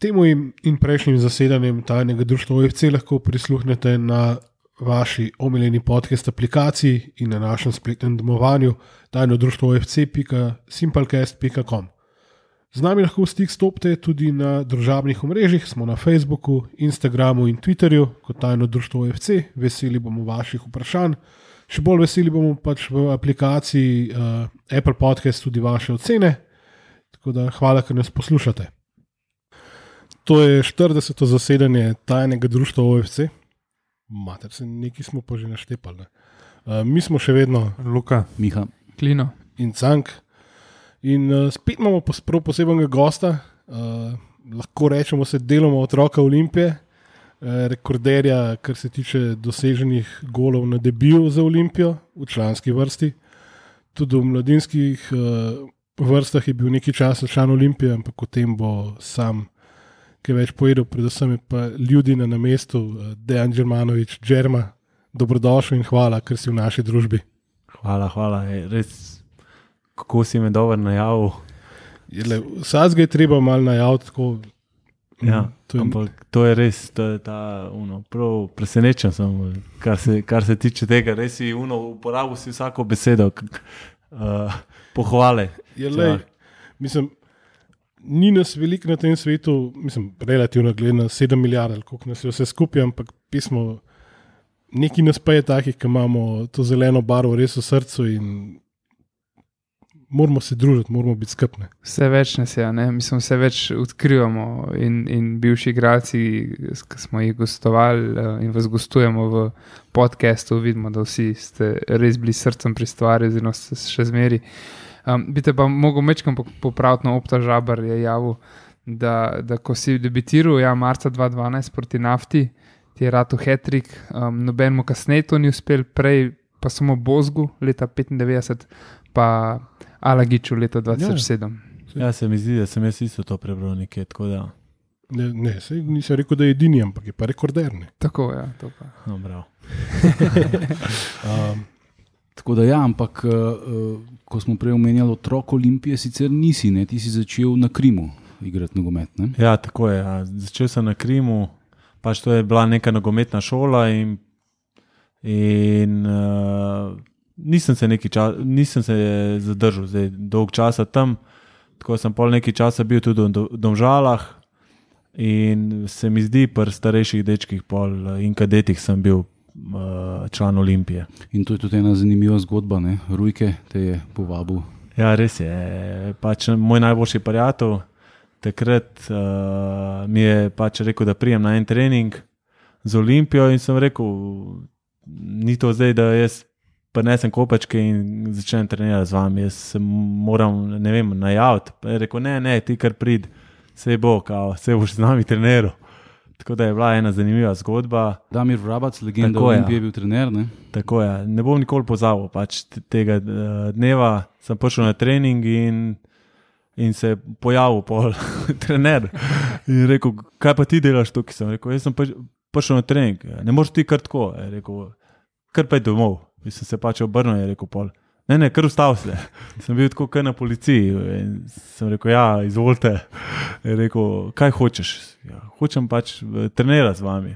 Temu in prejšnjim zasedanjem tajnega društva OFC lahko prisluhnete na vaši omiljeni podcast aplikaciji in na našem spletnem domovanju tajnodruštvofc.simplecast.com. Z nami lahko v stik stopite tudi na družabnih omrežjih, smo na Facebooku, Instagramu in Twitterju kot Tajno društvo OFC. Veseli bomo vaših vprašanj, še bolj veseli bomo pač v aplikaciji Apple Podcast tudi vaše ocene. Tako da hvala, ker nas poslušate. To je 40. zasedanje Tajnega društva OFC. Mater, se nekaj smo pa že naštepali. Mi smo še vedno Luka, Miha, Klino in Cank. In spet imamo prav posebnega gosta, lahko rečemo se deloma otroka Olimpije, rekorderja, kar se tiče doseženih golov na debiju za Olimpijo v članski vrsti. Tudi v mladinskih vrstah je bil nekaj časa član Olimpije, ampak o tem bo sam kaj več povedal, predvsem je pa ljudi na namestu, Dejan Đermanović, Đerma, dobrodošel in hvala, ker si v naši družbi. Hvala, res, kako si me dobro najavil. Vsaj je treba malo najaviti, tako. Ja, to je res, to je ta, prav presenečen sem, kar se tiče tega, res si uporabil si vsako besedo, pohvale. Mislim, ni nas veliko na tem svetu, mislim, relativno gledano 7 milijard, koliko nas je vse skupaj, ampak pismo, neki nas pa je takih, ki imamo to zeleno barvo res v srcu in moramo se družiti, moramo biti skupni. Vse več nas je, mislim, vse več odkrivamo in bivši igralci, ki smo jih gostovali in vas gostujemo v podcastu, vidimo, da vsi ste res bili srcem pri stvari, oziroma ste še zmeri. Bi te pa mogel mečkam popraviti, Opta Žabar je javil, da ko si debitiral, marca 2012 proti Nafti, ti je ratu hat-trick, nobenemu kasneje to ni uspel, prej pa samo Bozgu leta 1995, pa Alagiču leta 2007. Ja, se mi zdi, da sem jaz isto to prebral nekje, tako da. Ne, nisem rekel, da je edini, ampak je pa rekorderni. Tako, ja, to pa. No, bravo. Tako da ampak ko smo prej omenjali otrok Olimpije, sicer nisi, ne? Ti si začel na Krimu igrati nogomet, ne? Ja, tako je. Ja. Začel sem na Krimu, pač to je bila neka nogometna šola in nisem se zadržal dolg časa tam, tako sem pol nekaj časa bil tudi v Domžalah in se mi zdi pri starejših dečkih pol in kadetih sem bil član Olimpije. In to je tudi ena zanimiva zgodba, ne? Rujke te je povabil. Ja, res je. Pač moj najboljši prijatelj takrat mi je pač rekel, da prijem na en trening z Olimpijo in sem rekel, ni to zdaj, da jaz prinesem kopačke in začnem trenirati z vami. Jaz se moram, najaviti. Je rekel, ne, ti kar prid, sej bo, sej boš z nami treniral. Tako da je bila ena zanimiva zgodba. Damir Vrabac, legenda Olimpije, je bil trener, ne? Tako je. Ne bom nikoli pozabil pač tega dneva. Sem prišel na trening in se je pojavil pol trener. In rekel, kaj pa ti delaš tukaj? Sem rekel, jaz sem prišel na trening. Ne moreš ti kar tako. Je rekel, kar pa je domov. In sem se pač obrnil in je rekel pol. Ne, kar ustav se. Sem bil tako kar na policiji in sem rekel, ja, izvolite. Je rekel, kaj hočeš? Ja, hočem pač trenirati z vami.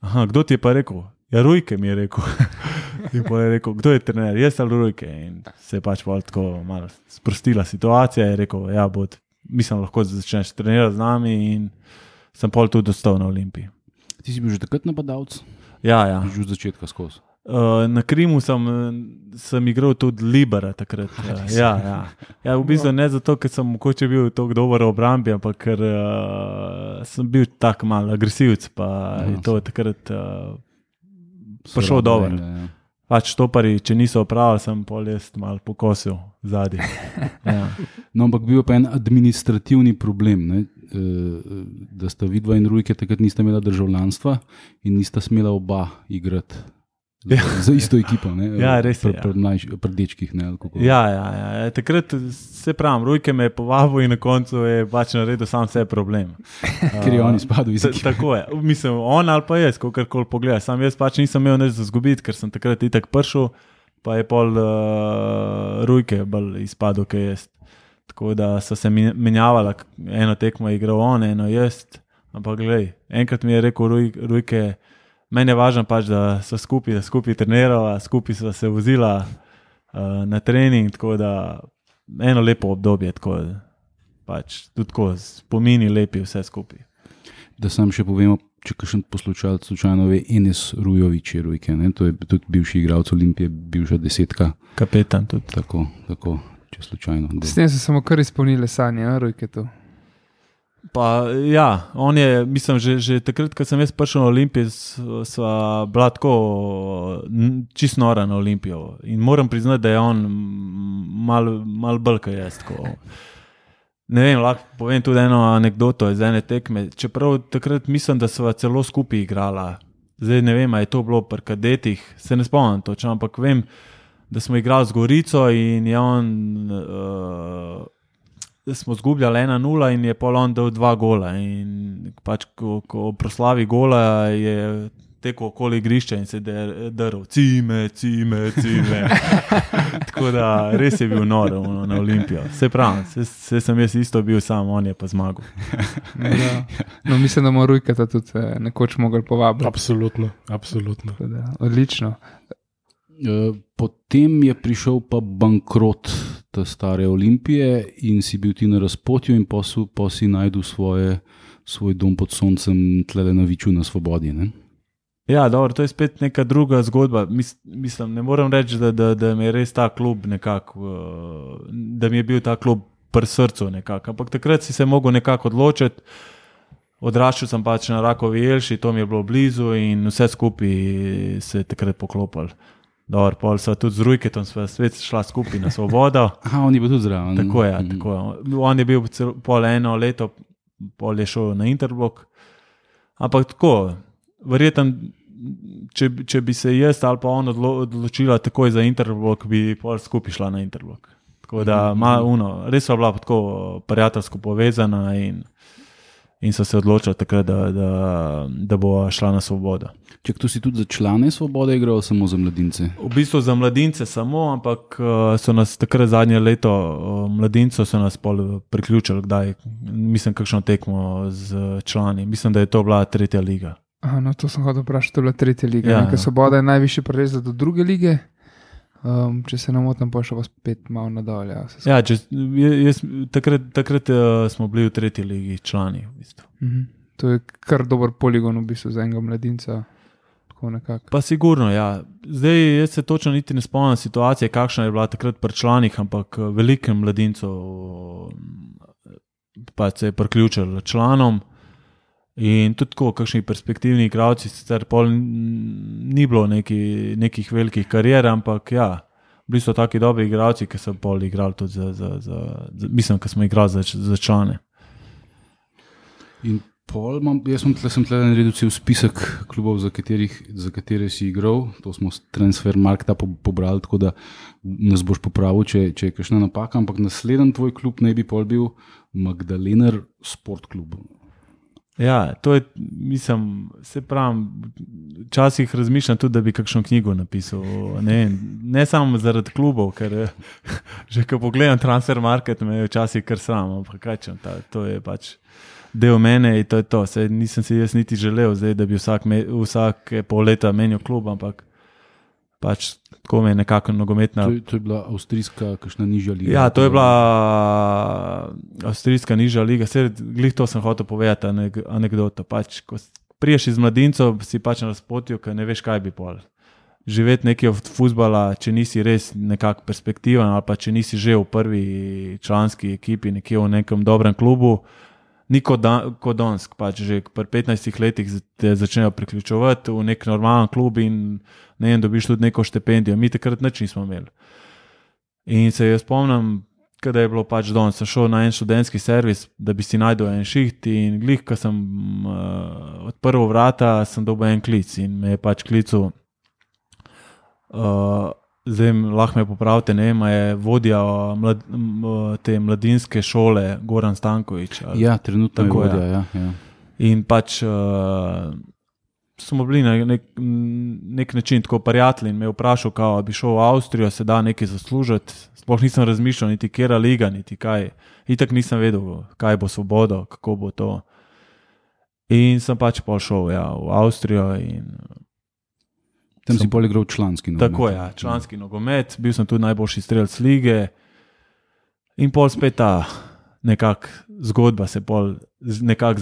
Aha, kdo ti je pa rekel? Ja, Rujke mi je rekel. In pa je rekel, kdo je trener? Jaz ali Rujke? In se je pač pol tako malo sprostila situacija. Je rekel, ja, mislim, lahko začneš trenirati z nami in sem pol tudi dostal na Olimpiji. Ti si bil že takrat napadalec? Ja. Že od začetka skozi? Na Krimu sem igral tudi Libera takrat. Ja, v bistvu ne zato, ker sem mogoče bil tako dober v obrambi, ampak ker sem bil tak malo agresivc, pa je to takrat prišel dobro. Ja. Pač štopari, če niso opravili, sem pol jaz malo pokosil zadnji. Ja. No, ampak bil pa en administrativni problem, ne? Da sta vidva in Rujke takrat nista imela državljanstva in nista smela oba igrati. Za isto ekipo, ne? Ja, res je. Pri dečkih, ne? Ja. Takrat se pravim, Rujke me je povabil in na koncu je pač naredil sam vse problem. Ker je on izpadel iz ekipe. Tako je. Mislim, on ali pa jaz, kakorkoli pogledaj. Sam jaz pač nisem imel nič za zgubiti, ker sem takrat itak prišel, pa je pol Rujke bolj izpadel, kaj jaz. tako da so se menjavala, eno tekmo je igral on, eno jaz, ampak glej, enkrat mi je rekel Rujke, meni je važno pač, da so skupaj trenirala, skupaj so se vozila na trening, tako da eno lepo obdobje, tako pač tudi tako spomini lepi vse skupaj. Da sam še povemo, če kakšen poslušalec slučajno ve, Enes Rujović je Rujke, ne? To je tudi bivši igralec Olimpije, bivša 10. Kapetan tudi. Tako, če slučajno. S tem so samo kar izpolnile sanje, Rujke tu. Pa ja, on je, mislim, že takrat, ko sem jaz prišel na Olimpijo, sva bila tako čist nora na Olimpijo in moram priznati, da je on mal bolj kaj jaz. Ne vem, lahko povem tudi eno anekdoto iz ene tekme, čeprav takrat mislim, da sva celo skupaj igrala. Zdaj ne vem, a je to bilo pri kadetih, se ne spomnim točno, ampak vem, da smo igrali z Gorico in je on... smo zgubljali 1-0 in je pol on dal 2 gola in pač ko proslavi gola je tekel okoli igrišča in se drl cime. Tako da res je bil nor na Olimpijo. Se pravi, se sem jaz isto bil sam, on je pa zmagal. No, mislim, da mora Rujkata tudi nekoč mogel povabiti. Absolutno. Odlično. Potem je prišel pa bankrot te stare Olimpije in si bil ti na razpotju in pa si najdel svoj dom pod soncem tlele na Viču na Svobodi, ne? Ja, dobro, to je spet neka druga zgodba. Mislim, ne moram reči, da mi je res ta klub nekako, da mi je bil ta klub pri srcu nekako, ampak takrat si se mogel nekako odločiti. Odraščal sem pač na Rakovi Jelši, to mi je bilo blizu in vse skupaj se je takrat poklopili. Dobro, pol sva tudi z Rujketom sva svet šla skupaj na Svobodo. Aha, on je bil tudi zraven. Tako je. On je bil pol 1 leto, pol je šel na Interblok. Ampak tako, verjetno, če bi se jaz ali pa on odločila takoj za Interblok, bi pol skupaj šla na Interblok. Tako da res sva bila tako prijateljsko povezana in so se odločili takrat, da bo šla na Svobodo. Čak, tu si tudi za člane Svobode igral, samo za mladince? V bistvu za mladince samo, ampak so nas takrat zadnje leto mladincev so nas pol priključili, kdaj, mislim, kakšno tekmo z člani. Mislim, da je to bila 3. liga. Aha, no, to sem hotel vprašati, to je bila 3. liga. Ja, Svoboda je najvišji prelezla do 2. lige. Če se ne motim, pa še vas spet malo nadalje. Ja, takrat smo bili v 3. ligi člani. V bistvu. To je kar dober poligon v bistvu za enega mladinca. Pa sigurno, ja. Zdaj jaz se točno niti ne spomnim situacije, kakšna je bila takrat pri članih, ampak veliko mladincov pa se je priključilo članom in tudi tako, kakšni perspektivni igralci, sicer pol ni bilo nekih velikih karier, ampak ja, bili so taki dobri igralci, ki so pol igrali tudi mislim, ki smo igrali za člane. In jaz sem tle naredil cel spisek klubov, za katere si igral, to smo s Transfermarkta pobrali, tako da nas boš popravil, če je kakšna napaka, ampak naslednji tvoj klub naj bi pol bil Magdalener Sport Klub. Ja, to je, mislim, se pravim, včasih razmišljam tudi, da bi kakšno knjigo napisal, ne samo zaradi klubov, ker že ko pogledam Transfermarkt, me je včasih kar sram, ampak kaj čem, to je pač del mene in to je to. Sej nisem si jaz niti želel, zdaj, da bi vsak pol leta menil klub, ampak pač tako me je nekako nogometna... To je bila avstrijska kakšna nižja liga? Ja, to je bila avstrijska nižja liga. Glih to sem hotel povedati, anekdoto. Pač, ko priješ iz mladincov, si pač na razpotju, ker ne veš, kaj bi pol. Živeti nekaj od fuzbala, če nisi res nekako perspektiven ali pa če nisi že v prvi članski ekipi, nekje v nekem dobrem klubu, ni kot Donsk, pač že pri 15 letih te začnejo priključevati v nek normalen klub in ne vem, dobiš tudi neko štipendijo. Mi takrat nič nismo imeli. In se jaz spomnim, kada je bilo pač Donsk, sem šel na en študentski servis, da bi si najdel en šiht in glih, ko sem odprl vrata, sem dobil en klic in me je pač klical, zdaj lahko me popravite, ne vem, je vodja te mladinske šole Goran Stanković. Ja, trenutno je vodja, ja. In pač smo bili na nek način tako prijatelji in me je vprašal, kao bi šel v Avstrijo, se da nekaj zaslužiti. Sploh nisem razmišljal, niti kera liga, niti kaj. Itak nisem vedel, kaj bo Svobodo, kako bo to. In sem pač pol šel v Avstrijo. Tam si pol igral članski nogomet. Tako je, članski nogomet. Bil sem tudi najboljši strelec lige. In pol spet ta zgodba se pol nekako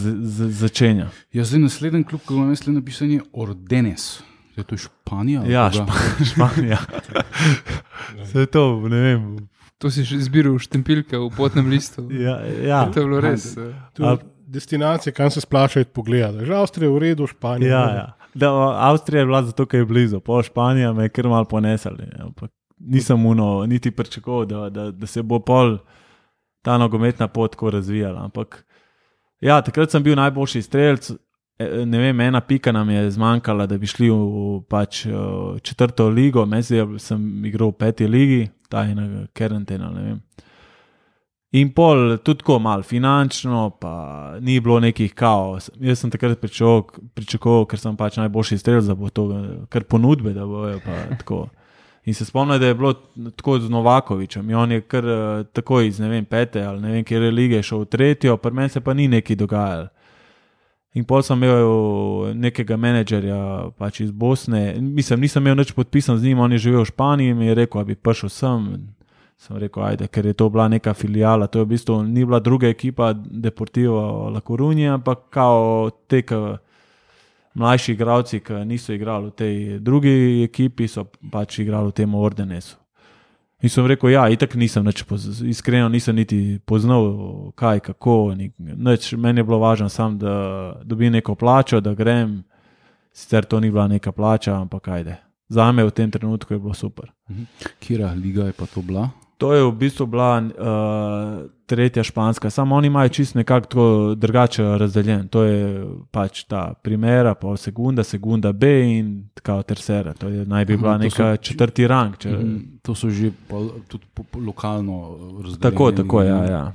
začenja. Ja, zdaj naslednji klub, ki imam jaz napisan, je Ordenes. Je to Španija? Ja, Španija. Vse to, ne vem. To si izbiral štempiljke v potnem listu. Ja. To je bilo res. Destinacije, kam se splača pogledati. Že Avstrija je v redu, Španija. Ja. Avstrija je bila zato, ker je blizu. Pol Španija me je kar malo ponesali. Nisem niti pričakoval, da se bo pol ta nogometna pot tako razvijala. Ampak ja, takrat sem bil najboljši strelec. Ne vem, ena pika nam je zmanjkala, da bi šli v pač 4. ligo. Mesej sem igral v 5. ligi, ta je na karantena, ne vem. In pol tudi tako malo finančno, pa ni bilo nekih kaos. Jaz sem takrat pričakoval, ker sem pač najboljši strelec, da bo to kar ponudbe, da bojo pa tako. In se spomnim, da je bilo tako z Novakovičem. In on je kar tako iz, ne vem, 5. ali ne vem, kjer je lige šel v 3., pri meni se pa ni nekaj dogajalo. In pol sem imel nekega menedžerja pač iz Bosne. Mislim, nisem imel nič podpisan z njim, on je živel v Španiji in mi je rekel, da bi prišel sem. Sem rekel, ajde, ker je to bila neka filijala. To je v bistvu ni bila druga ekipa Deportivo La Coruña, ampak kao tek mlajši igralci, ki niso igrali v tej drugi ekipi, so pač igrali v tem Ordenesu. In sem rekel, ja, itak nisem iskreno nisem niti poznal kaj, kako, nič. Meni je bilo važno sam, da dobim neko plačo, da grem, sicer to ni bila neka plača, ampak ajde. Zame v tem trenutku je bilo super. Kjera liga je pa to bila? To je v bistvu bila 3. španska, samo oni imajo čisto nekako drugače razdeljen. To je pač ta primera, pol segunda B in kao tercera. To je naj bi bila neka 4. rang. To so že tudi lokalno razdeljeni. Tako, ja.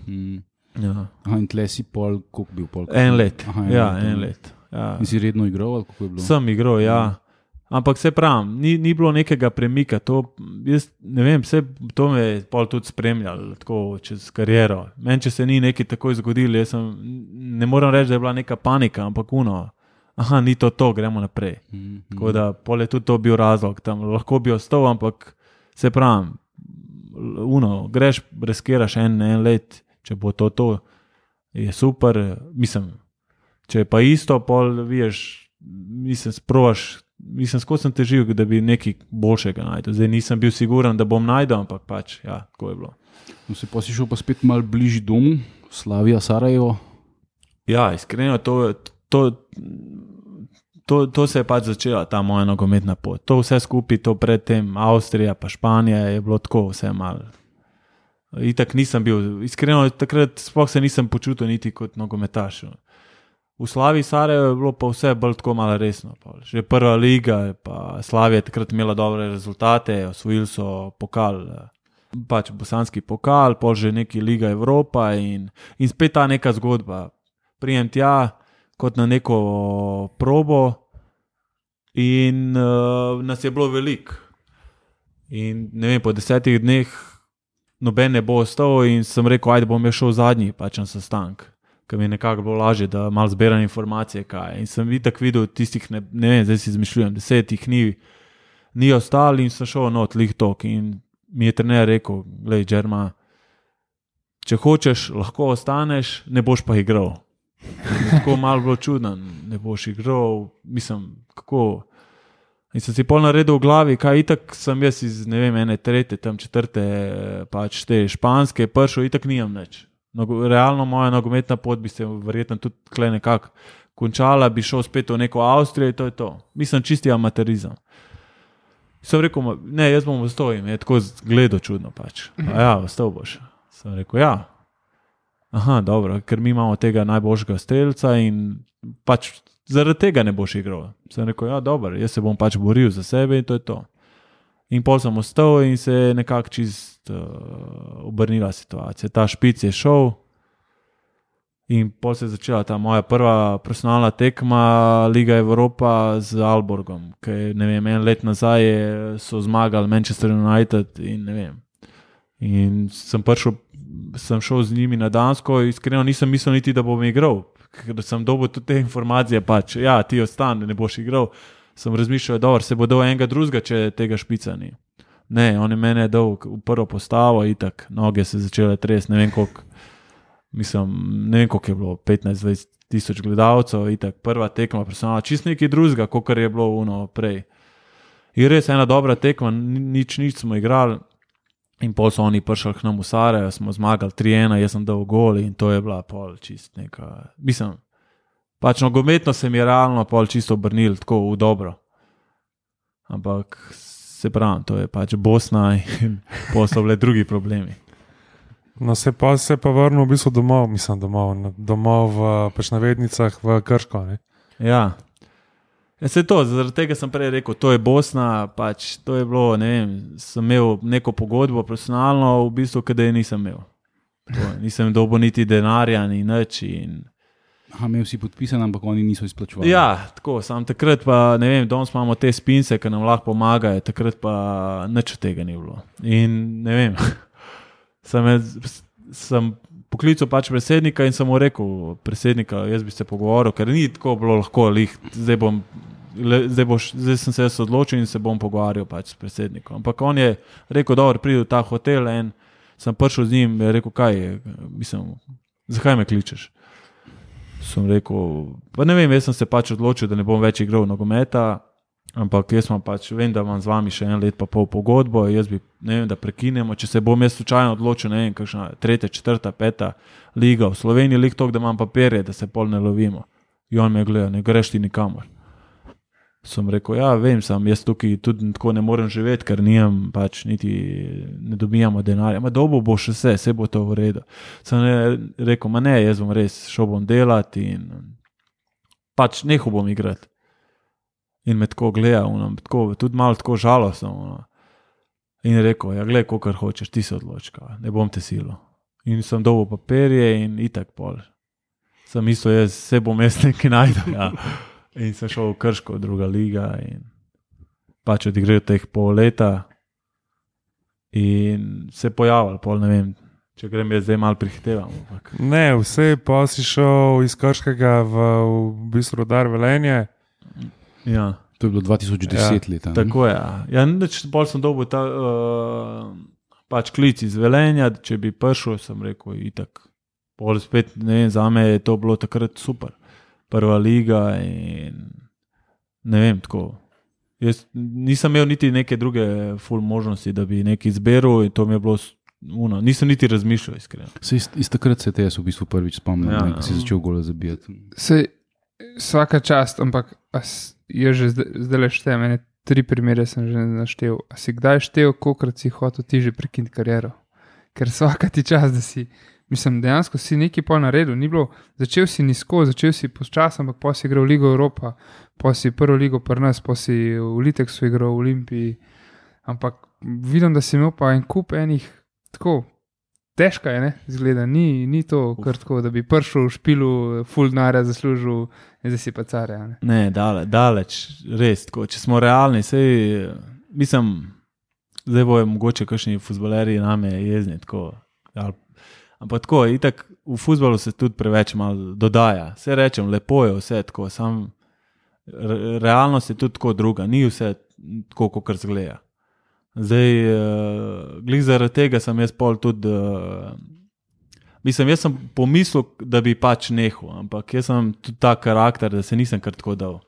Ja. Aha, in tle si pol, koliko bil pol? En let. Aha, en let. Ja. In si redno igral, ali kako je bilo? Sem igral, ja. Ampak se pravim, ni bilo nekega premika, jaz ne vem, to me je pol tudi spremljalo tako čez kariero. Meni, če se ni nekaj takoj zgodilo, ne moram reči, da je bila neka panika, ampak ni to, gremo naprej. Tako da pol je tudi to bil razlog, tam lahko bi ostal, ampak se pravim, greš, riskiraš en let, če bo to, je super, mislim, če je pa isto, pol viješ, skozi sem težil, da bi nekaj boljšega najdel. Zdaj nisem bil siguran, da bom najdel, ampak pač, ja, tako je bilo. No, se pa si šel pa spet malo bližji domu, Slavija, Sarajevo? Ja, iskreno, to se je pač začela, ta moja nogometna pot. To vse skupaj, to predtem Avstrija pa Španija je bilo tako vse malo. Itak nisem bil, iskreno, takrat sploh se nisem počutil niti kot nogometaš. V Slaviji Sarajevo je bilo pa vse bolj tako malo resno. Že 1. liga, pa Slavija je takrat imela dobre rezultate, osvojili so pokal, pač bosanski pokal, pol že neki Liga Evropa in spet ta neka zgodba. Prijem tja kot na neko probo in nas je bilo veliko. In ne vem, po 10 dneh noben ne bo ostal in sem rekel, ajde bom šel zadnji pač na sestank. Ker mi je nekako bilo lažje, da malo zberam informacije, kaj. In sem itak videl tistih, ne vem, zdaj si izmišljujem, 10 ni ostali in sem šel not lih tok. In mi je trener rekel, glej, Džerma, če hočeš, lahko ostaneš, ne boš pa igral. Tako malo bilo čudno, ne boš igral, mislim, kako. In sem si pol naredil v glavi, kaj itak sem jaz iz, ne vem, 3., tam 4., pač te španske, prišel, itak nimam nič. Realno moja nogometna pot bi se verjetno tudi tle nekako končala, bi šel spet v neko Avstrijo in to je to. Mislim, čisti amaterizem. Sem rekel, ne, jaz bom ostal in je tako gledal čudno pač. Ja, ostal boš. Sem rekel, ja. Aha, dobro, ker mi imamo tega najboljšega strelca in pač zaradi tega ne boš igral. Sem rekel, ja, dobro, jaz se bom pač boril za sebe in to je to. In pol sem ostal in se je nekako čist obrnila situacija. Ta špic je šel In pol se je začela ta moja prva profesionalna tekma Liga Evropa z Aalborgom, ki ne vem, en let nazaj so zmagali Manchester United in ne vem. In sem šel z njimi na Dansko, iskreno nisem mislil niti, da bom igral, ker sem dobil tudi te informacije, pač, ja, ti ostani, ne boš igral. Sem razmišljal, dobro, se bo dal enega drugega, če tega špica ni. Ne, on je mene dal v prvo postavo, itak, noge se začele tresti, ne vem koliko je bilo, 15-20 tisoč gledalcev, itak, prva tekma, personalna, čist nekaj drugega, kot je bilo prej. In res ena dobra tekma, nič smo igrali in pol so oni prišli k nam v Sarajevo, smo zmagali 3-1, jaz sem dal gol in to je bila pol čist neka, pač nogometno se mi je realno pol čisto obrnil, tako v dobro. Ampak se pravim, to je pač Bosna in pol so bile drugi problemi. No, se pa vrnil v bistvu domov v pač navednicah v Krško, ne? Ja. Se to, zaradi tega sem prej rekel, to je Bosna, pač to je bilo, ne vem, sem imel neko pogodbo profesionalno, v bistvu, kada je nisem imel. Nisem dobil niti denarja, ni nič in... Imel si podpisan, ampak oni niso izplačevali. Ja, tako, sam takrat pa, ne vem, danes imamo te spince, ki nam lahko pomagajo, takrat pa nič od tega ni bilo. In ne vem... Sem poklical pač predsednika in sem mu rekel, predsednika, jaz bi se pogovoril, ker ni tako bilo lahko, zdaj sem se odločil in se bom pogovarjal pač s predsednikom. Ampak on je rekel, dobro, pridi v ta hotel in sem prišel z njim in rekel, zakaj me kličeš? Sem rekel, pa ne vem, jaz sem se pač odločil, da ne bom več igral nogometa, ampak jaz vem, da imam z vami še 1 let pa pol pogodbo, jaz bi, ne vem, da prekinemo, če se bom jaz slučajno odločil, ne vem, kakšna 3., 4., 5. liga v Sloveniji, lik toliko, da imam papirje, da se pol ne lovimo. In on me je gledal, ne greš ti nikamor. Sem rekel, ja, vem, jaz tukaj tudi tako ne morem živeti, ker nimam pač niti ne dobijamo denarja. Dobo bo še vse bo to v redu. Sem rekel, ne, jaz bom res šel bom delati in pač nehal bom igrati. In me tako gleda, tudi malo tako žalostno. In rekel, ja, gled, kolikor hočeš, ti se odločka, ne bom te silo. In sem dobil papirje in itak pol. Sem mislil, se bom jaz nekaj najdel. Ja. In sem šel v Krško, 2. liga in pač odigral teh pol leta in se pojavil, pol ne vem, če grem jaz zdaj malo prihitevam. Ne, vse pa si šel iz Krškega v bistvu Rudar Velenje. Ja. To je bilo 2010 leta. Tako je. Ja, bolj sem dobil pač klic iz Velenja, če bi prišel, sem rekel, itak. Pol spet, ne vem, za me je to bilo takrat super. Prva liga in ne vem, tako. Jaz nisem imel niti neke druge ful možnosti, da bi nekaj izberal in to mi je bilo nisem niti razmišljal, iskreno. Iz takrat se te jaz v bistvu prvič spomnim, ko si začel gole zabijati. Vsaka čast, ampak jaz že zdaj le štejem, 3 primere sem že naštel. A si kdaj štel, kolikrat si hotel ti že prekiniti kariero? Ker vsaka ti čas, da si, dejansko si nekaj pol naredil, ni bilo, začel si nizko, začel si počas, ampak pa si igral v Ligo Evropa, pa si prvo ligo pri nas, pa si v Liteksu igral v Olimpiji, ampak vidim, da si imel pa en kup enih, tako, težka je, ne, zgleda, ni to kar tako, da bi prišel v špilu, ful denarja zaslužil in zdaj si pa carja. Ne, daleč, res, tako, če smo realni, zdaj bojo mogoče kakšni fuzbalerji name jezni, tako, ampak tako, itak v fuzbalu se tudi preveč malo dodaja, vse rečem, lepo je vse tako, realnost je tudi tako druga, ni vse tako, kot zgleda. Zdaj, glih zaradi tega sem jaz pol tudi, jaz sem pomislil, da bi pač nehal, ampak jaz sem tudi ta karakter, da se nisem kar tako dal.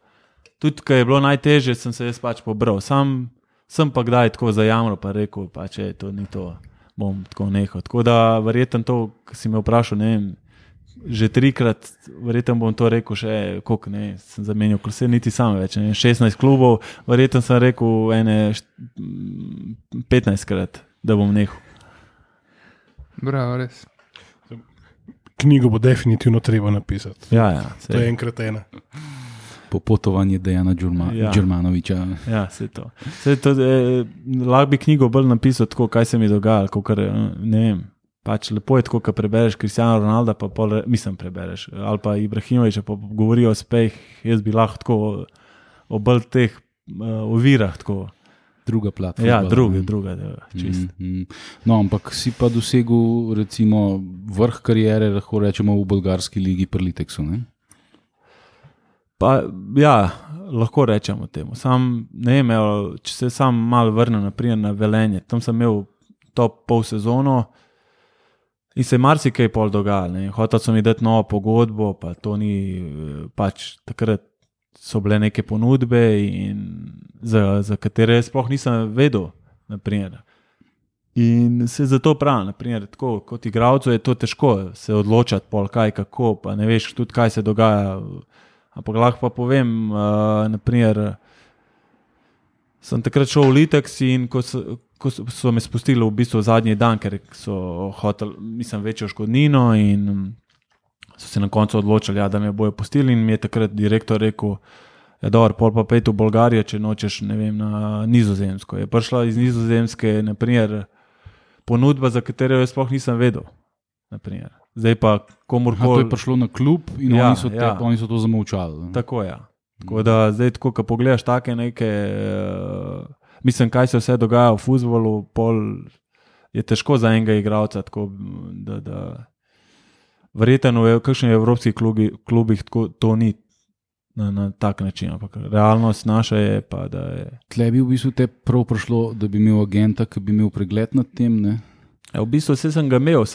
Tudi, ko je bilo najtežje, sem se jaz pač pobral. Sem pa kdaj tako zajamral, pa rekel, pač to ni to, bom tako nehal. Tako da verjetno to, ko si me vprašal, ne vem, že 3-krat, verjetno bom to rekel še, koliko ne, sem zamenjal, ko se niti sam več, ne, 16 klubov, verjetno sem rekel 15-krat, da bom nehal. Bravo, res. Knjigo bo definitivno treba napisati. Ja, to je enkrat ena. Popotovanje Dejana Đurmanovića. Ja, vse to. Lahko bi knjigo bolj napisal tako, kaj se mi dogaja, ne vem. Pač lepo je tako, ko prebereš Cristiano Ronalda, pa prebereš, ali pa Ibrahimoviča, pa govorijo o uspeh, jaz bi lahko tako o bolj teh ovirah tako. Druga plat. Ja, druga, čist. No, ampak si pa dosegel recimo vrh kariere, lahko rečemo v bolgarski ligi pri Liteksu, ne? Pa ja, lahko rečemo temu. Sam, ne vem, če se sam malo vrnem naprimer na Velenje, tam sem imel top pol sezono in se marsikaj pol dogajalo. Hotel so mi dati novo pogodbo, pa to ni, pač takrat so bile neke ponudbe, in za katere sploh nisem vedel. Naprimer. In se zato pravim, naprimer, tako, kot igralcu je to težko se odločati, pol kaj, kako, pa ne veš tudi, kaj se dogaja. Ampak lahko pa povem, naprimer, sem takrat šel v Liteks in ko so me spustili v bistvu zadnji dan, ker so hoteli, večjo škodnino, in so se na koncu odločili, da me bojo pustili, in mi je takrat direktor rekel, dobro, pol pa pejte v Bolgarijo, če nočeš, ne vem, na Nizozemsko. Je prišla iz Nizozemske, naprimer, ponudba, za katero jaz sploh nisem vedel. Naprimer. Zdaj pa komorkoli. To je prišlo na klub in oni so to zamolčali. Tako je. Tako da zdaj, ko pogledaš take neke, mislim, kaj se vse dogaja v fuzbolu, pol je težko za enega igralca, tako da verjetno v kakšnih evropskih klubih to ni na tak način, ampak realnost naša je pa, da je. Tle bi v bistvu te prav prišlo, da bi imel agenta, ki bi imel pregled nad tem, ne? Ja, v bistvu vse sem ga imel,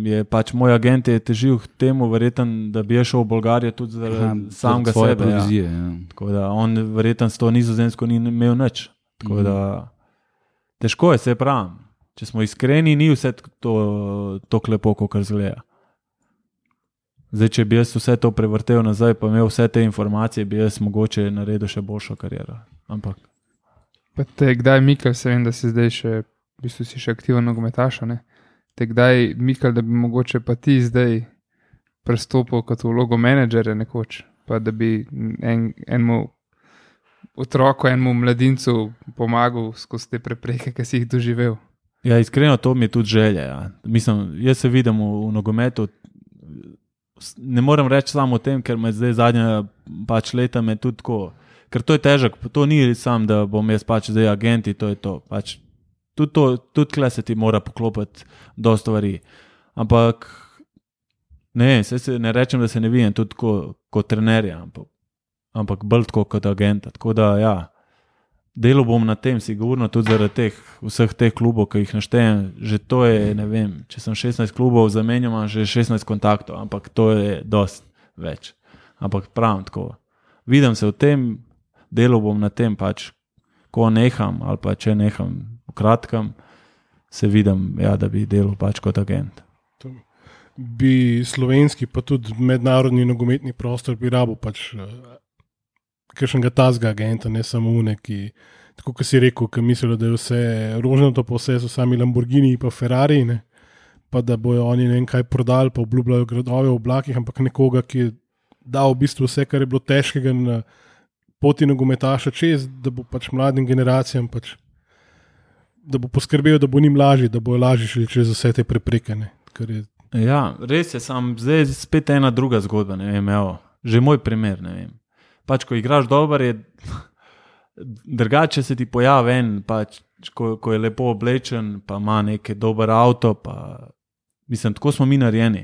je pač moj agent je težil k temu, verjetno, da bi šel v Bolgarijo tudi zaradi samega sebe. Provizije, ja. Tako da on verjetno s to Nizozemsko ni imel nič. Tako da težko je, se pravim. Če smo iskreni, ni vse to lepo, kot izgleda. Zdaj, če bi jaz vse to prevrtel nazaj, pa imel vse te informacije, bi jaz mogoče naredil še boljšo kariero. Ampak. Pa te kdaj, Mikel, se vem, da si zdaj še, v bistvu si še aktiven nogometaš, ne? Te kdaj, Mikel, da bi mogoče pa ti zdaj prestopil kot vlogo menedžerja nekoč, pa da bi enemu otroku, enemu mladincu pomagal skozi te prepreke, ki si jih doživel? Ja, iskreno, to mi je tudi želja. Ja. Mislim, jaz se vidim v nogometu, ne morem reči samo o tem, ker me zdaj zadnja pač leta me tudi tako, ker to je težak, to ni sam, da bom jaz pač zdaj agenti, to je to, pač tudi kle se ti mora poklopiti do stvari, ampak ne rečem, da se ne vidim tudi kot trenerja, ampak bolj tako kot agenta, tako da ja, delal bom na tem sigurno tudi zaradi vseh teh klubov, ki jih naštejem, že to je, ne vem, če sem 16 klubov zamenjal, imam že 16 kontaktov, ampak to je dosti več, ampak pravim tako, vidim se v tem, delal bom na tem pač, ko neham ali pa če neham v kratkem, se vidim, ja, da bi delal pač kot agent. Bi slovenski pa tudi mednarodni nogometni prostor bi rabo pač kakšnega tazga agenta, ne samo neki, tako kot si rekel, ki mislijo, da je vse rožnato, pa vse so sami Lamborghini pa Ferrari, ne? Pa da bojo oni ne vem kaj prodali, pa obljubljajo gradove v oblakih, ampak nekoga, ki je dal v bistvu vse, kar je bilo težkega na poti nogometaša čez, da bo pač mladim generacijam pač, da bo poskrbel, da bo njim lažje, da bojo lažje šli čez vse te prepreke. Ja, res je, zdaj spet ena druga zgodba, ne vem, evo, že moj primer, ne vem. Pač, ko igraš dober, je drugače se ti pojavi en, pač, ko je lepo oblečen, pa ima neki dober avto, pa mislim, tako smo mi narejeni,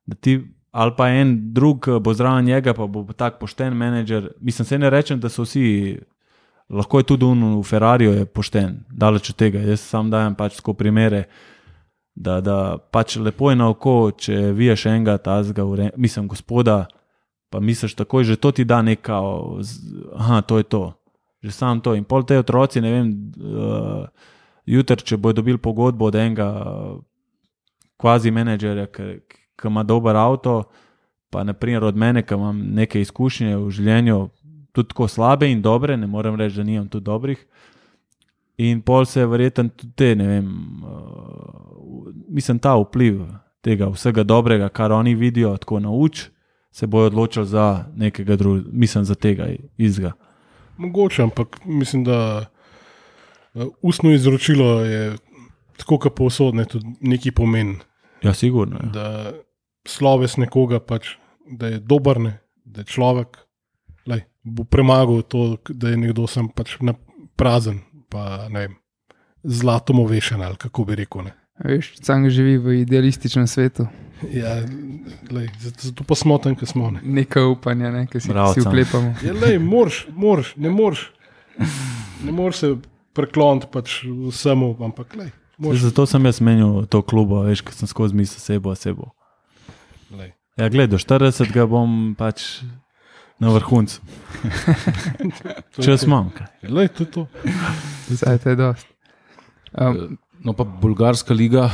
da ti ali pa en drug bo zraven njega, pa bo tak pošten menedžer. Mislim, se ne rečem, da so vsi, lahko je tudi v Ferrariju je pošten, daleč od tega. Jaz sam dajem pač tako primere, da pač lepo je na oko, če viješ enega tazga, mislim, gospoda, pa misliš takoj, že to ti da nekao, to je to, že sam to. In pol te otroci, ne vem, jutri, če bojo dobili pogodbo od enega kvazi menedžerja, ki ima dober avto, pa naprimer od mene, ki imam neke izkušnje v življenju, tudi tako slabe in dobre, ne morem reči, da nimam tudi dobrih. In pol se verjetno tudi te, ne vem, mislim, ta vpliv tega vsega dobrega, kar oni vidijo, tako nauč, se bojo odločili za nekega drugega, mislim, za tega izga. Mogoče, ampak mislim, da ustno izročilo je tako, kot povsod, ne, tudi neki pomen. Ja, sigurno. Ja. Da sloves nekoga pač, da je dober, ne, da je človek, lej, bo premagal to, da je nekdo sam pač prazen, pa ne vem, zlatom ovešen ali kako bi rekel. Ne. Veš, sam živi v idealističnem svetu. Ja, lej, zato pa smo tam, ki smo. Ne. Nekaj upanja, ne, ki si Bravo, vklepamo. Ja, lej, ne moreš se prekloniti pač vsemu, ampak lej. Zato sem jaz menil to klubo, veš, ker sem skozi mislil sebo. Lej. Ja, gled, do 40 ga bom pač na vrhuncu. Čas imam. Lej, to je to. Zdaj, to je dost. No, pa Bolgarska liga,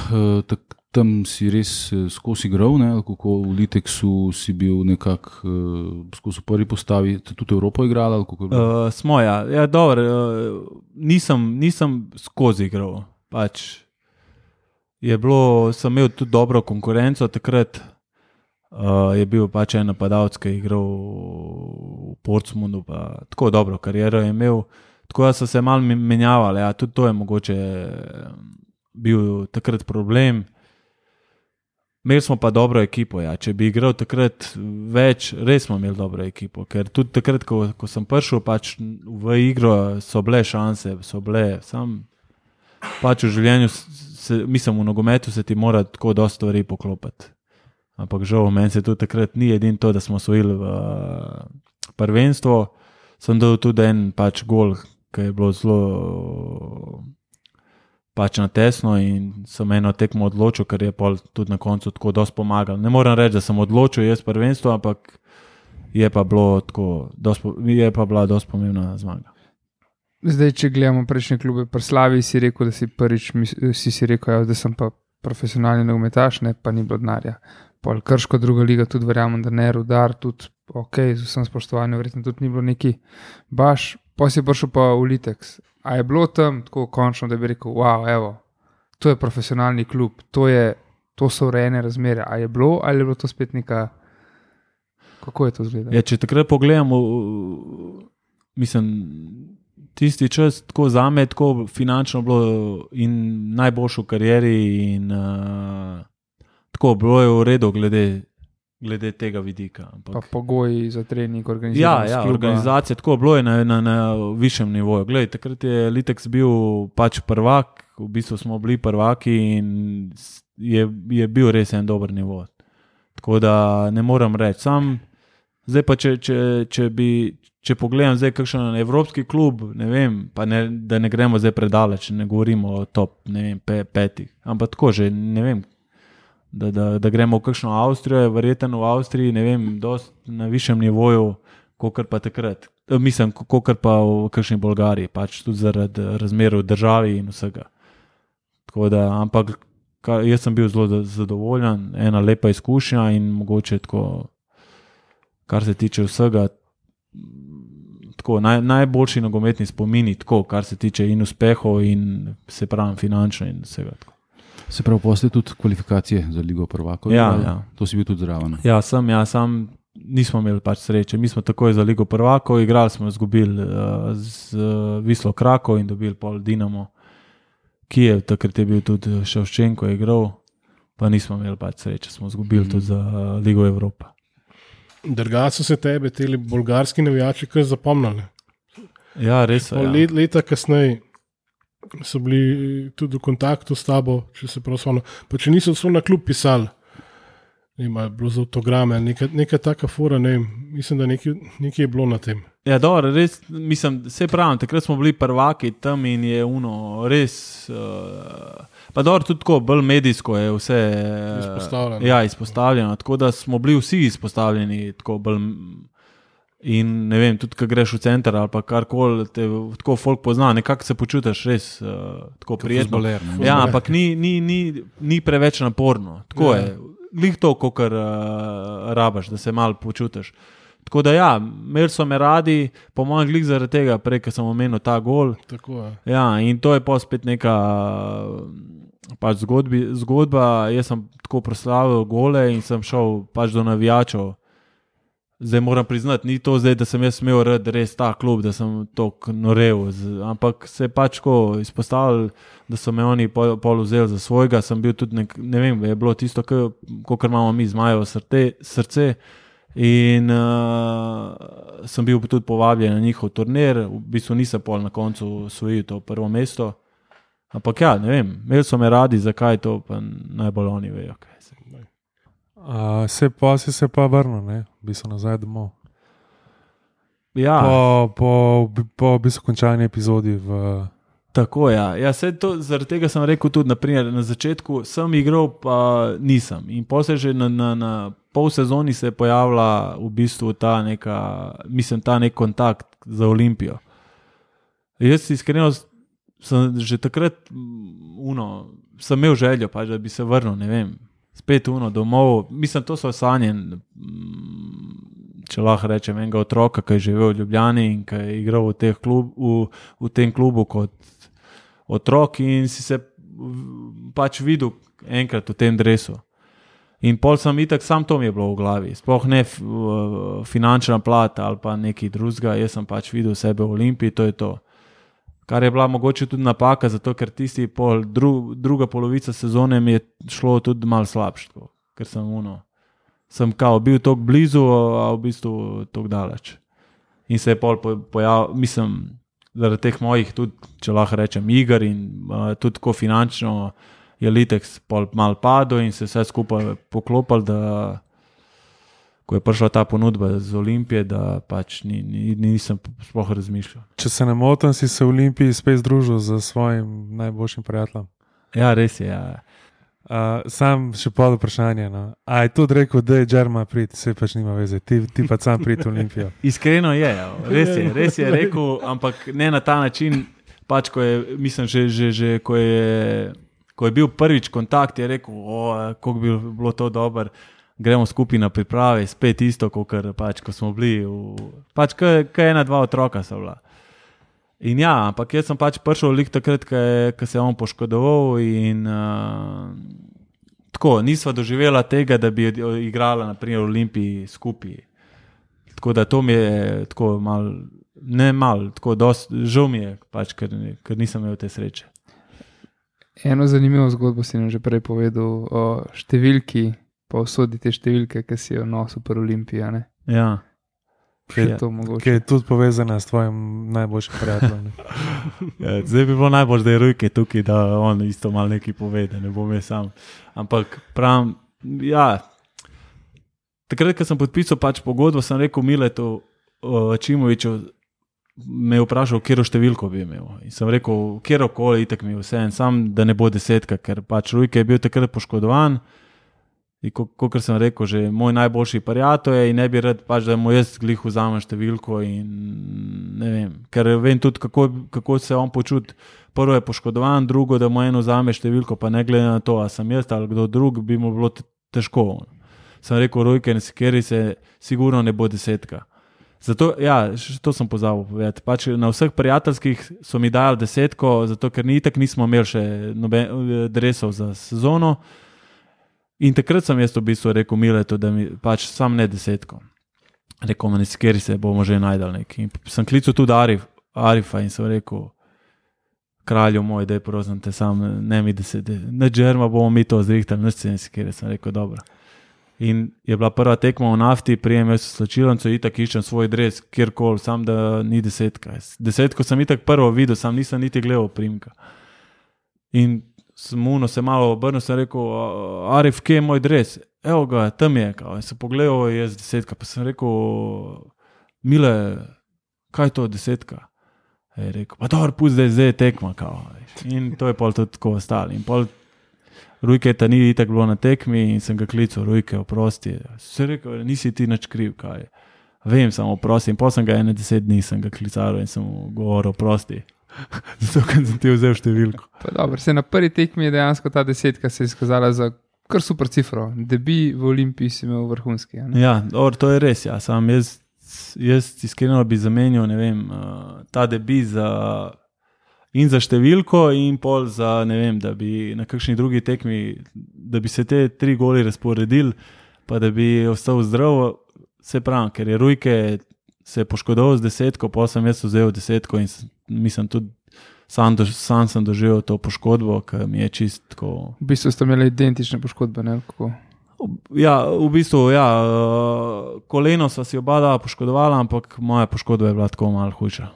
tam si res skozi igral, ne? Kako v Liteksu si bil nekako skozi prvi postavi, tudi Evropo igral? Smo, ja, dobro, nisem skozi igral. Pač sem imel tudi dobro konkurenco, takrat je bil pač en napadalec, ki je igral v Portsmouthu, pa tako dobro kariero je imel, tako da so se malo menjavali, ja, tudi to je mogoče bil takrat problem. Imeli smo pa dobro ekipo, ja. Če bi igral takrat več, res smo imeli dobro ekipo, ker tudi takrat, ko sem prišel pač v igro, so bile šanse, sam pač v življenju, mislim v nogometu se ti mora tako dosti stvari poklopiti. Ampak žal, meni se tudi takrat ni edino to, da smo osvojili v prvenstvo, sem dal tudi en pač gol, ki je bilo zelo pač na tesno in sem eno tekmo odločil, ker je pol tudi na koncu tako dosti pomagal. Ne moram reči, da sem odločil jaz prvenstvo, ampak je pa bila dosti pomembna zmaga. Zdaj, če gledamo prejšnje klube, pri Slavi si rekel, da si prvič si rekel, da sem pa profesionalni nogometaš, ne, pa ni bilo denarja. Pol Krško, druga liga, tudi verjamem, da ne, Rudar, tudi ok, z vsem spoštovanjem, verjetno tudi ni bilo neki baš, pa si prišel pa v Liteks. A je bilo tam tako končno, da bi rekel, wow, evo, to je profesionalni klub, to so urejene razmere. A je bilo ali je bilo to spet neka, kako je to izgledalo? Ja, če takrat pogledamo, mislim, tisti čas tako zame, tako finančno bilo in najboljšo v karieri in tako bilo je v redu glede tega vidika. Ampak, pa pogoji za trening, organizacija. Ja, organizacija, tako bilo je na višjem nivoju. Glej, takrat je Liteks bil pač prvak, v bistvu smo bili prvaki in je bil res en dober nivo. Tako da ne moram reči. Sam, zdaj pa če pogledam zdaj kakšen evropski klub, ne vem, pa da ne gremo zdaj predaleč, ne govorimo o top, ne vem, petih, ampak tako že, ne vem, da gremo v kakšno Avstrijo, je verjetno v Avstriji, ne vem, dosti na višjem nivoju, kakor pa takrat. Mislim, kakor pa v kakšni Bolgariji, pač tudi zaradi razmer v državi in vsega. Tako da, ampak jaz sem bil zelo zadovoljen, ena lepa izkušnja in mogoče tako, kar se tiče vsega, tako, najboljši nogometni spomini, tako, kar se tiče in uspehov in se pravim finančno in vsega. Tako. Se pravi, postoji tudi kvalifikacije za Ligo prvakov? Ja. To si bil tudi zraven? Ja, sam nismo imeli pač sreče. Mi smo takoj za Ligo prvakov igrali, smo izgubili z Wislo Krakov in dobili pol Dinamo Kijev, takrat je bil tudi Ševčenko igral, pa nismo imeli pač sreče, smo izgubili tudi za Ligo Evropa. Drugače so se tebe teli bolgarski navijači kar zapomnili. Ja, res. Leta kasneje so bili tudi v kontaktu s tabo, če se prav spomnim. Pa če niso na klub pisali, ne vem, je bilo za autograme ali neka taka fora, ne vem, mislim, da nekaj je bilo na tem. Ja, dobro, res, mislim, se pravim, takrat smo bili prvaki tam in je res, pa dobro, tudi tako, bolj medijsko je vse izpostavljeno. Ja, izpostavljeno, tako da smo bili vsi izpostavljeni, tako bolj. In ne vem, tudi ko greš v center ali pa karkoli, te tako folk pozna, nekako se počutiš res tako prijetno. Ja, ampak ni preveč naporno. Tako je. Glih to, kakor rabaš, da se malo počutiš. Tako da ja, imeli so me radi, po mojem glih zaradi tega, prej, ko sem omenil ta gol. Tako je. Ja, in to je pa spet neka pač zgodba. Jaz sem tako proslavil gole in sem šel pač do navijačev. zdaj moram priznati, ni to zdaj, da sem jaz smel rad res ta klub, da sem tok norel, ampak se je pač ko izpostavil, da so me oni pol vzeli za svojega, sem bil tudi, ne vem, je bilo tisto, kakor imamo mi Zmajevo srce in sem bil tudi povabljen na njihov turnir, v bistvu nisem pol na koncu osvojil to prvo mesto, ampak ja, ne vem, imeli so me radi, zakaj to, pa najbolj oni vejo, kaj se. Si se pa vrnil, ne? Bi se nazaj domov. Ja. Po v bistvu končani epizodi Tako, ja. Zaradi tega sem rekel tudi, naprimer, na začetku sem igral, pa nisem. In potem se že na pol sezoni se je pojavila v bistvu ta nek kontakt za Olimpijo. Jaz iskreno sem že takrat sem imel željo, pač, da bi se vrnil, ne vem, spet domov. Mislim, to so sanje, če lahko rečem, enega otroka, ki je živel v Ljubljani in ki je igral v tem klubu kot otrok in si se pač videl enkrat v tem dresu. In pol sem itak, sam to mi je bilo v glavi. Sploh ne finančna plata ali pa nekaj drugega, jaz sem pač videl sebe v Olimpiji, to je to. Kar je bila mogoče tudi napaka, zato ker tisti druga polovica sezone mi je šlo tudi malo slabško, ker sem bil toliko blizu, a v bistvu toliko daleč. In se je pol pojavil, mislim, zaradi teh mojih tudi, če lahko rečem, iger in tudi ko finančno je Litex pol malo padel in se vse skupaj poklopil, da ko je prišla ta ponudba z Olimpije, da pač nisem sploh razmišljal. Če se ne motim, si se v Olimpiji spet združil z svojim najboljšim prijateljem. Ja, res je, ja. Sam še pol vprašanje. No. A je tudi rekel, da je Džerma priti, se pač nima veze, ti pa sam priti v Olimpijo. Iskreno je, res je rekel, ampak ne na ta način, pač ko je, mislim, že ko je bil prvič kontakt, je rekel, kako bi bilo to dobro, gremo skupaj na priprave, spet isto, pač, ko smo bili, pač kaj ena, dva otroka so bila. In ja, ampak jaz sem pač prišel lik takrat, ko se je on poškodoval in tako, nisva doživela tega, da bi igrala naprimer v Olimpiji skupaj. Tako da to mi je tako tako dosti, žal mi je, pač, ker nisem imel te sreče. Eno zanimivo zgodbo si nam že prej povedal o številki, pa usodi te številke, ki si jo nosil pri Olimpiji, ne? Ja. Ki je tudi povezana s tvojim najboljšim prijateljem. Ja, zdaj bi bilo najbolj, da je Rujke tukaj, da on isto malo nekaj povede, ne bom jaz sam. Ampak pravim, ja, takrat, ko sem podpisal pač pogodbo, sem rekel Miletu Čimoviću, me je vprašal, katero številko bi imel. In sem rekel, kjerokoli, itak mi je vse, sam da ne bo 10, ker pač Rujke je bil takrat poškodovan. In kot sem rekel, že moj najboljši prijatelj je in ne bi rad pač, da mu jaz glih vzamem številko in ne vem, ker vem tudi, kako se on počuti. Prvo je poškodovan, drugo, da mu eno vzame številko, pa ne glede na to, a sem jaz ali kdo drug, bi mu bilo težko. Sem rekel, Rujke, kjer se sigurno ne bo 10. Zato, ja, to sem pozabil povedati. Pač na vseh prijateljskih so mi dali 10, zato ker nismo imeli še dresov za sezono. In takrat sem jaz v bistvu rekel Miletu, da mi pač sam ne 10. Rekel mi, kjer se bomo že najdel nekaj. In sem klical tudi Arifa in sem rekel, kralju moj, daj prosim te sam, ne mi 10, na Džerma bomo mi to zrihtali, na sceni kjer sem rekel, dobro. In je bila prva tekma v Nafti, prijem jaz v slačilnico, itak iščem svoj dres, kjerkoli, sam da ni 10. 10 sem itak prvo videl, sam nisem niti gledal primka. In se malo obrnil, sem rekel, Arif, kje je moj dres? Evo ga, tam je, in sem pogledal, je 10, pa sem rekel, Mile, kaj je to 10? Je rekel, pa dobro, pusti, da je zdaj tekma, in to je pol tudi tako ostalo. In pol Rujke ta ni itak bilo na tekmi in sem ga klical, Rujke, oprosti. Sem rekel, nisi ti nič kriv, kaj. Vem, samo oprosti. In pol sem ga 10 dni sem ga klical in sem mu govoril, oprosti. Zato, ker sem ti vzel številko. Pa dobro, na prvi tekmi je dejansko ta 10 se je izkazala za kar super cifro. Debi v Olimpiji si imel vrhunski. Ja, dobro, to je res, ja. Sam jaz iskreno bi zamenjal, ne vem, ta debi in za številko in pol za, ne vem, da bi na kakšni drugi tekmi, da bi se te 3 goli razporedili, pa da bi ostal zdrav, se pravi, ker je Rujke se poškodoval z 10, pa sem jaz vzel 10 in mislim tudi sam sem doživel to poškodbo, ki mi je čistko. V bistvu ste imeli identične poškodbe, ne? Kako? Ja, v bistvu, ja, koleno sva si oba poškodovala, ampak moja poškodba je bila tako malo hujša.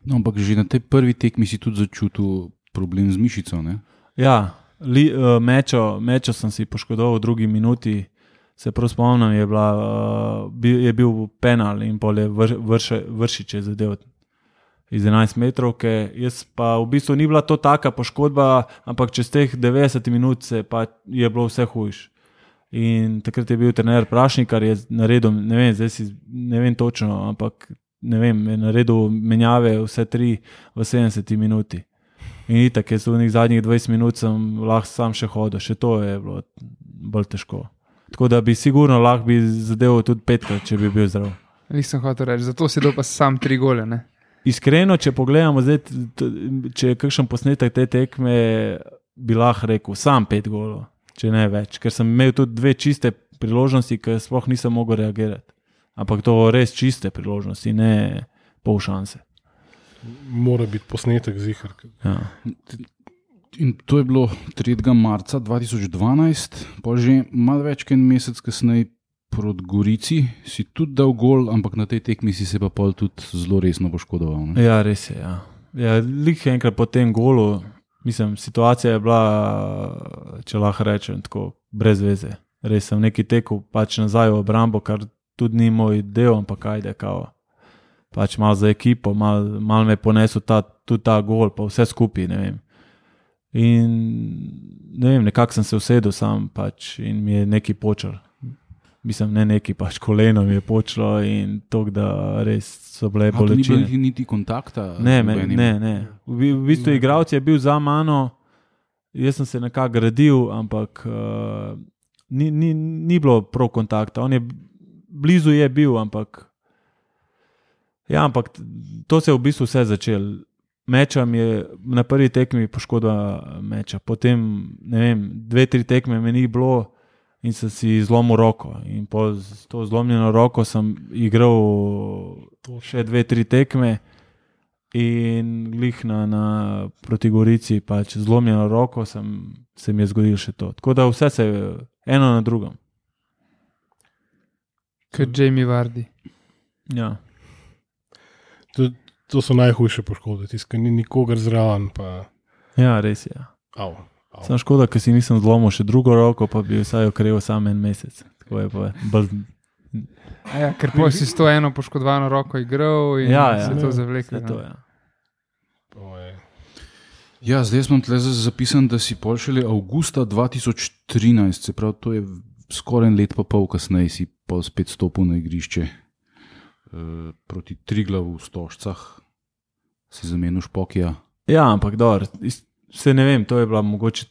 No, ampak že na tej prvi tekmi si tudi začutil problem z mišico, ne? Ja, mečo sem si poškodoval v drugi minuti, se prav spomnim, je bil penal in pol je Vršič je zadev iz 11 metrov, jaz pa v bistvu ni bila to taka poškodba, ampak čez teh 90 minut je bilo vse hujš. In takrat je bil trener Prašnikar, je naredil, ne vem točno, ampak ne vem, je naredil menjave vse 3 v 70 minuti. In itak, jaz v zadnjih 20 minut sem lahko sam še hodil, še to je bilo bolj težko. Tako da bi sigurno lahko bi zadeval tudi 5krat, če bi bil zdrav. Nisem hotel reči, zato si dal pa sam 3 gole, ne? Iskreno, če pogledamo zdaj, če je kakšen posnetek te tekme, bi lahko rekel sam 5 golov, če ne več. Ker sem imel tudi 2 čiste priložnosti, ki sploh nisem mogel reagirati. Ampak to res čiste priložnosti, ne pol šanse. Mora biti posnetek zihar. Ja. In to je bilo 3. marca 2012, pa že malo več kot en mesec kasneje proti Gorici si tudi dal gol, ampak na tej tekmi si se pa pol tudi zelo resno poškodoval. Ne? Ja, res je. Ja. Ja, lik enkrat po tem golu, mislim, situacija je bila, če lahko rečem, tako brez veze. Res sem neki tekel pač nazaj v obrambo, kar tudi ni moj del, ampak ajde kao. Pač malo za ekipo, malo me ponesel tudi ta gol, pa vse skupaj, ne vem. In ne vem, nekako sem se usedel sam pač in mi je neki počel. Mislim, ne neki, pač koleno mi je počelo in to, da res so bile bolečine. Ni bilo niti kontakta? Ne. V bistvu igralec je bil za mano, jaz sem se nekako gradil, ampak ni bilo prav kontakta. On je blizu je bil, ampak to se je v bistvu vse začel. Meča mi je na prvi tekmi poškodba meča, potem, ne vem, 2-3 tekme me ni bilo in sem si zlomil roko. In po to zlomljeno roko sem igral še 2-3 tekme in glih na proti Gorici, pač zlomljeno roko se mi je zgodilo še to. Tako da vse se je eno na drugem. Kot Jamie Vardy. Ja. To so najhujše poškodbe, tiskaj ni nikogar zraven. Ja, res je. Au. Sam škoda, ker si nisem zlomil še drugo roko, pa bi vsaj okrevil sam en mesec. Tako je pa bolj... Ja, ker si s to eno poškodovano roko igral in se to zavlekel. Ja, zdaj smo tle zapisani, da si pol šele avgusta 2013, se pravi, to je skoraj en let pa pol kasneje si pol spet stopil na igrišče proti Triglavu v Stožcah, si zamenil Špokija. Ja, ampak dobro, se ne vem, to je bila mogoče,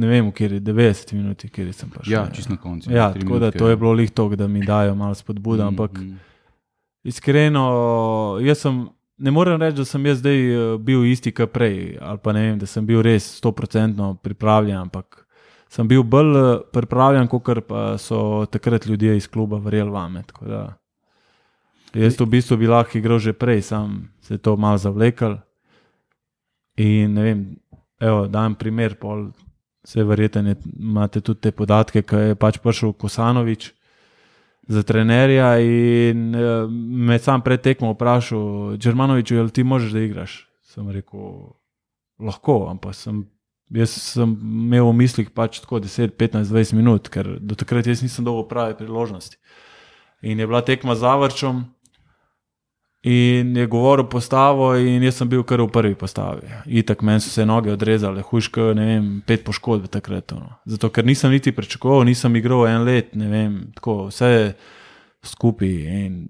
ne vem, v kjer je 90 minuti, kjer sem pa še. Ja, čist na koncu. Ja, tako da to je bilo lih to, da mi dajo malo spodbuda, ampak iskreno, ne morem reči, da sem jaz zdaj bil isti kot prej, ali pa ne vem, da sem bil res 100% pripravljen, ampak sem bil bolj pripravljen, kakor pa so takrat ljudje iz kluba verjeli vame, tako da jaz v bistvu bi lahko igral že prej, sam se to malo zavlekal in ne vem, evo, dajem primer, pol se verjetno imate tudi te podatke, ko je pač prišel Kosanović za trenerja in me sam pred tekmo vprašal, Đermanoviću, jel ti možeš da igraš? Sem rekel, lahko, ampak jaz sem imel v mislih pač tako 10, 15, 20 minut, ker do takrat jaz nisem dobil prave priložnosti. In je bila tekma z Zavrčom in je govoril postavo in jaz sem bil kar v prvi postavi. Itak meni so se noge odrezale, hujško, ne vem, 5 poškodb takrat. Zato, ker nisem niti pričakoval, nisem igral en let, ne vem, tako vse skupaj in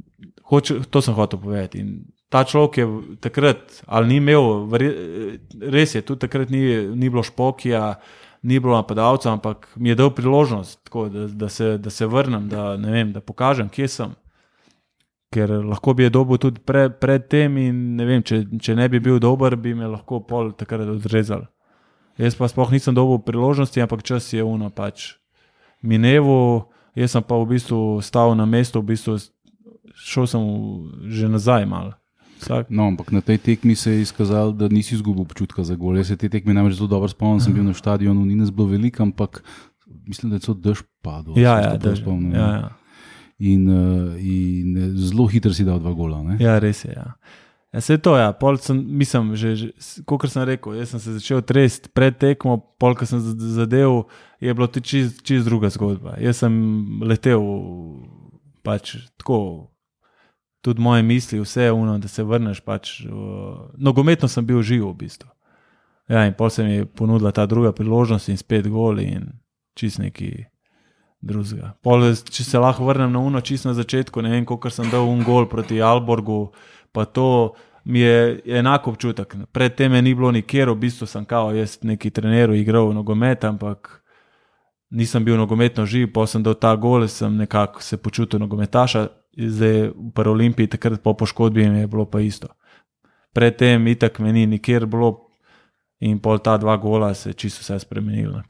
to sem hotel povedati. In ta človek je takrat, ali ni imel, res je, tudi takrat ni bilo Špokija, ni bilo napadalca, ampak mi je dal priložnost, tako, da se vrnem, da, ne vem, da pokažem, kje sem. Ker lahko bi je dobil tudi pred tem in ne vem, če ne bi bil dober, bi me lahko pol takrat odrezal. Jaz pa sploh nisem dobil priložnosti, ampak čas je pač mineval, Jaz sem pa v bistvu stal na mestu, v bistvu šel sem že nazaj malo. No, ampak na tej tekmi se je izkazalo, da nisi izgubil občutka za gol. Jaz se te tekme namreč zelo dobro spomnim, sem bil na štadionu, ni nas bilo veliko, ampak mislim, da je celo dež padel. Ja, dež. Ja. In zelo hitro si dal 2 gola. Ne? Ja, res je. Ja. Ja, se to, ja. Pol sem, mislim, kot sem rekel, jaz sem se začel tresti pred tekmo, pol, ko sem zadev, je bilo to čist druga zgodba. Jaz sem letel pač tako, tudi moje misli, vse je ono, da se vrneš pač, nogometno sem bil živ v bistvu. Ja, in pol se mi je ponudila ta druga priložnost in spet gol in čist neki drugega. Pol, če se lahko vrnem na uno čist na začetku, ne vem, kolikor sem dal gol proti Alborgu, pa to mi je enako občutek. Pred tem je ni bilo nikjer, v bistvu sem kao jaz neki treneru igral nogomet, ampak nisem bil nogometno živ, pa sem dal ta gol, sem nekako se počutil nogometaša, zdaj v Paralimpiji, takrat po poškodbi mi je bilo pa isto. Pred tem itak me ni nikjer bilo in pol ta 2 gola se čisto vse spremenilo.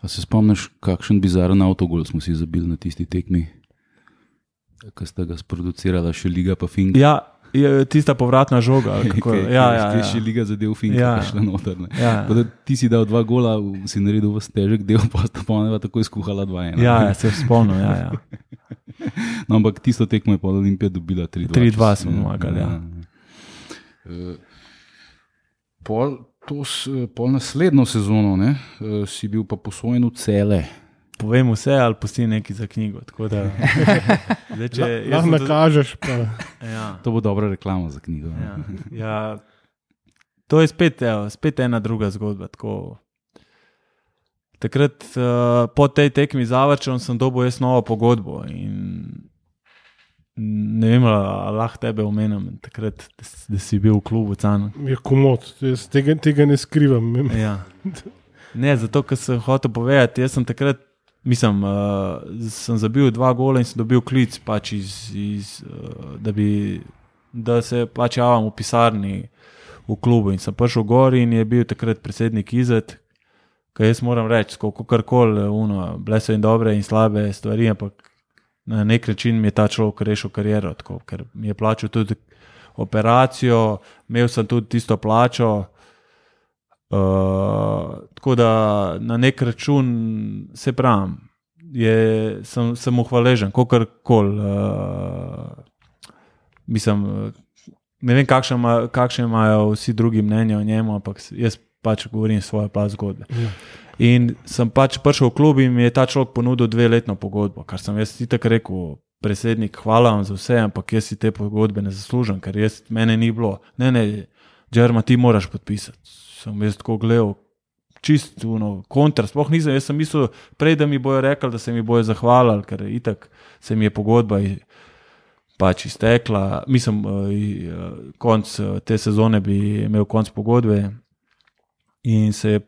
A se spomniš, kakšen bizaren avtogol smo si zabili na tisti tekmi, ko sta ga sproducirala še Liga pa Fink? Ja, tista povratna žoga. Ja. Še Liga zadev Finka, šla noter. Ja. Ti si dal 2 gola, si naredil v stežek del, pa sta poneva tako izkuhala 2-1. Ja, se spomnim, ja. No, ampak tisto tekmo je pa Olimpija dobila 3-2. 3-2 smo pomagali, ja. Pol naslednjo sezono, ne, si bil pa posojen v Cele. Povem vse, ali pusti nekaj za knjigo. Da, lahko nakažeš. Ja. To bo dobra reklama za knjigo. Ja. To je spet ena druga zgodba. Tako. Takrat po tej tekmi z Averčem sem dobil jaz novo pogodbo in ne vem, ali lahko tebe omenim takrat, da si bil v klubu Can. Je komod, jaz tega ne skrivam. Ja. Ne, zato, ker sem hotel povedati, jaz sem takrat sem zabil 2 gola in sem dobil klic pač da se pač javam v pisarni v klubu in sem prišel gor in je bil takrat predsednik Izet, kaj jaz moram reči, kakorkoli, bile so in dobre in slabe stvari, ampak na nek način mi je ta človek rešil kariero, tako, ker mi je plačal tudi operacijo, imel sem tudi tisto plačo, tako da na nek račun se pravim, sem mu hvaležen, kakorkoli, mislim, ne vem, kakšne imajo vsi drugi mnenja o njemu, ampak jaz pač govorim svoje plat zgodbe. Ja. In sem pač prišel v klub in mi je ta človek ponudil 2-letno pogodbo, kar sem jaz itak rekel, predsednik, hvala vam za vse, ampak jaz si te pogodbe ne zaslužim, ker mene ni bilo. Ne, Džerma, ti moraš podpisati. Sem jaz tako gledal, čist kontra, sploh nisem, jaz sem mislil prej, da mi bojo rekli, da se mi bojo zahvalili, ker itak se mi je pogodba pač iztekla, mislim, konc te sezone bi imel konc pogodbe in sem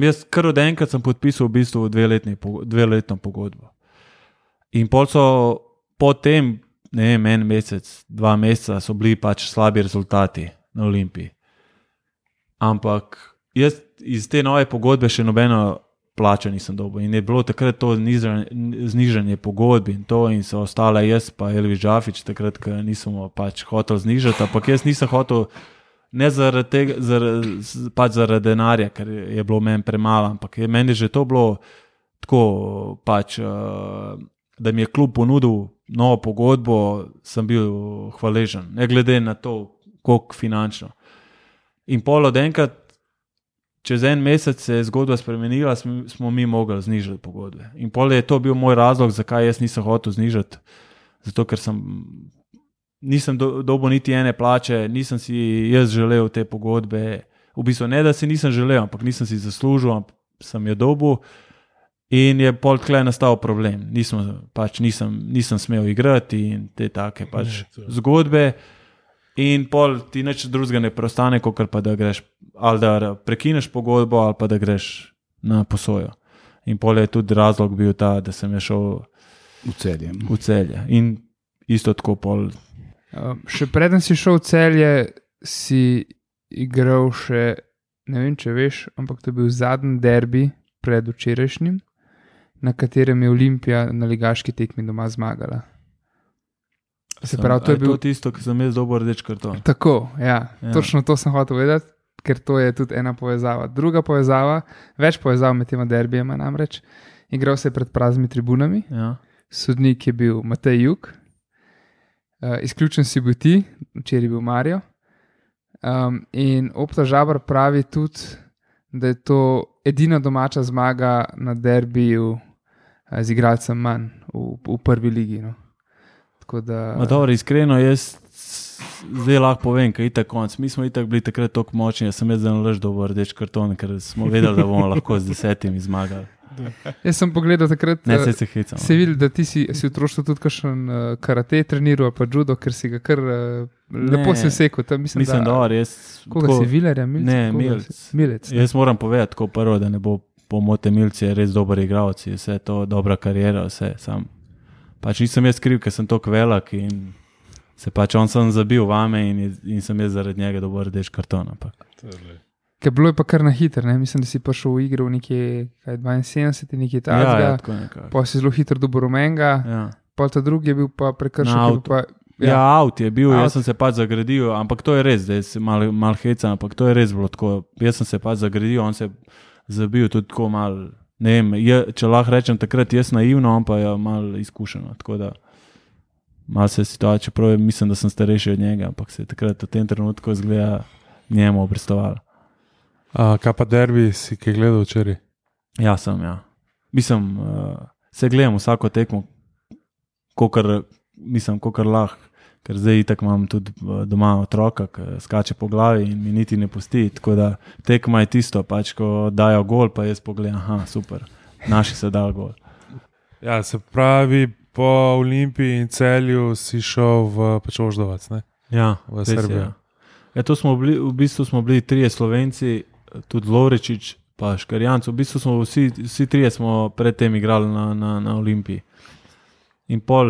jaz kar od enkrat sem podpisal v bistvu 2-letno pogodbo. In pol so potem, ne vem, 1 mesec, 2 meseca so bili pač slabi rezultati na Olimpiji. Ampak jaz iz te nove pogodbe še nobeno plačo nisem dobil. In je bilo takrat to znižanje pogodbi in to in so ostale jaz pa Elvis Džafič, takrat, ko nismo pač hotel znižati, ampak jaz nisem hotel ne zaradi tega, pač zaradi denarja, ker je bilo meni premalo, ampak meni je že to bilo tako pač, da mi je klub ponudil novo pogodbo, sem bil hvaležen, ne glede na to, koliko finančno. In pol od enkrat, čez 1 mesec se je zgodba spremenila, smo mi mogli znižati pogodbe. In pol je to bil moj razlog, zakaj jaz nisem hotel znižati, zato ker nisem dobil niti ene plače, nisem si jaz želel te pogodbe, v bistvu ne, da si nisem želel, ampak nisem si zaslužil, ampak sem jo dobil in je pol tle nastal problem. Nisem smel igrati in te take pač zgodbe in pol ti nič drugega ne preostane, kot pa da greš, ali da prekineš pogodbo, ali pa da greš na posojo. In pol je tudi razlog bil ta, da sem je šel v Celje. In isto tako pol. Še preden si šel v Celje, si igral še, ne vem, če veš, ampak to je bil zadnji derbi pred včerajšnjim, na katerem je Olimpija na ligaški tekmi doma zmagala. Se pravi, to je bil tisto, ki sem jaz dobil rdeč karton. Tako, ja. Točno to sem hotel vedeti, ker to je tudi ena povezava. Druga povezava, več povezav med tema derbijema namreč, igral se je pred praznimi tribunami, sodnik je bil Matej Juk, izključen si bil ti, včeraj je bil Mario, in Opta Žabar pravi tudi, da je to edina domača zmaga na derbiju z igralcem manj v prvi ligi. No. Dobro, iskreno, jaz zdaj lahko povem, ker je itak konc. Mi smo itak bili takrat toliko močni, da sem jaz zelo lež dobil rdeč karton, ker smo vedeli, da bomo lahko z 10 zmagali. Jaz sem pogledal takrat, se hecam. Se videl, da ti si v otroštvu tudi kakšen karate treniral, pa judo, ker si ga kar lepo si vsekal. Mislim, da res. Koga si, Vilerja, Milec? Ne, Milec. Jaz moram povedati tako prvo, da ne bo pomote Milci, je res dober igralec, vse to dobra karijera, vse sam. Pač nisem jaz kriv, ker sem toliko velik in se pač on sem zabil vame in sem jaz zaradi njega dobil rdeč karton. Ker bilo je pa kar na hiter, ne? Mislim, da si prišel v igro v nekje 72, nekje tazga, pa si zelo hitro dobil rumenga, pa ta drugi je bil pa prekršen. Avt je bil, jaz sem se pač zagradil, ampak to je res, da je mal heca, ampak to je res bilo tako. Jaz sem se pač zagradil, on se je zabil tudi tako mal, ne vem, če lahko rečem takrat jaz naivno, on pa je mal izkušeno, tako da mal se je situacija, čeprav mislim, da sem starejši od njega, ampak se je takrat v tem trenutku izgleda njemu obrestovalo. Kaj pa derbi si kaj gledal včeraj? Ja, sem, ja. Mislim, se gledam vsako tekmo, kakor lahko, ker zdaj itak imam tudi doma otroka, ki skače po glavi in mi niti ne pusti, tako da tekma je tisto, pač ko dajo gol, pa jaz pogledam, aha, super, naši se dal gol. Ja, se pravi, po Olimpiji in Celju si šel v Oždovac, ne? Ja, v Srbijo. Ja, to smo bili, v bistvu smo bili 3 Slovenci, tudi Lovrečič, pa Škarjanc, v bistvu smo vsi 3 smo predtem igrali na Olimpiji. In pol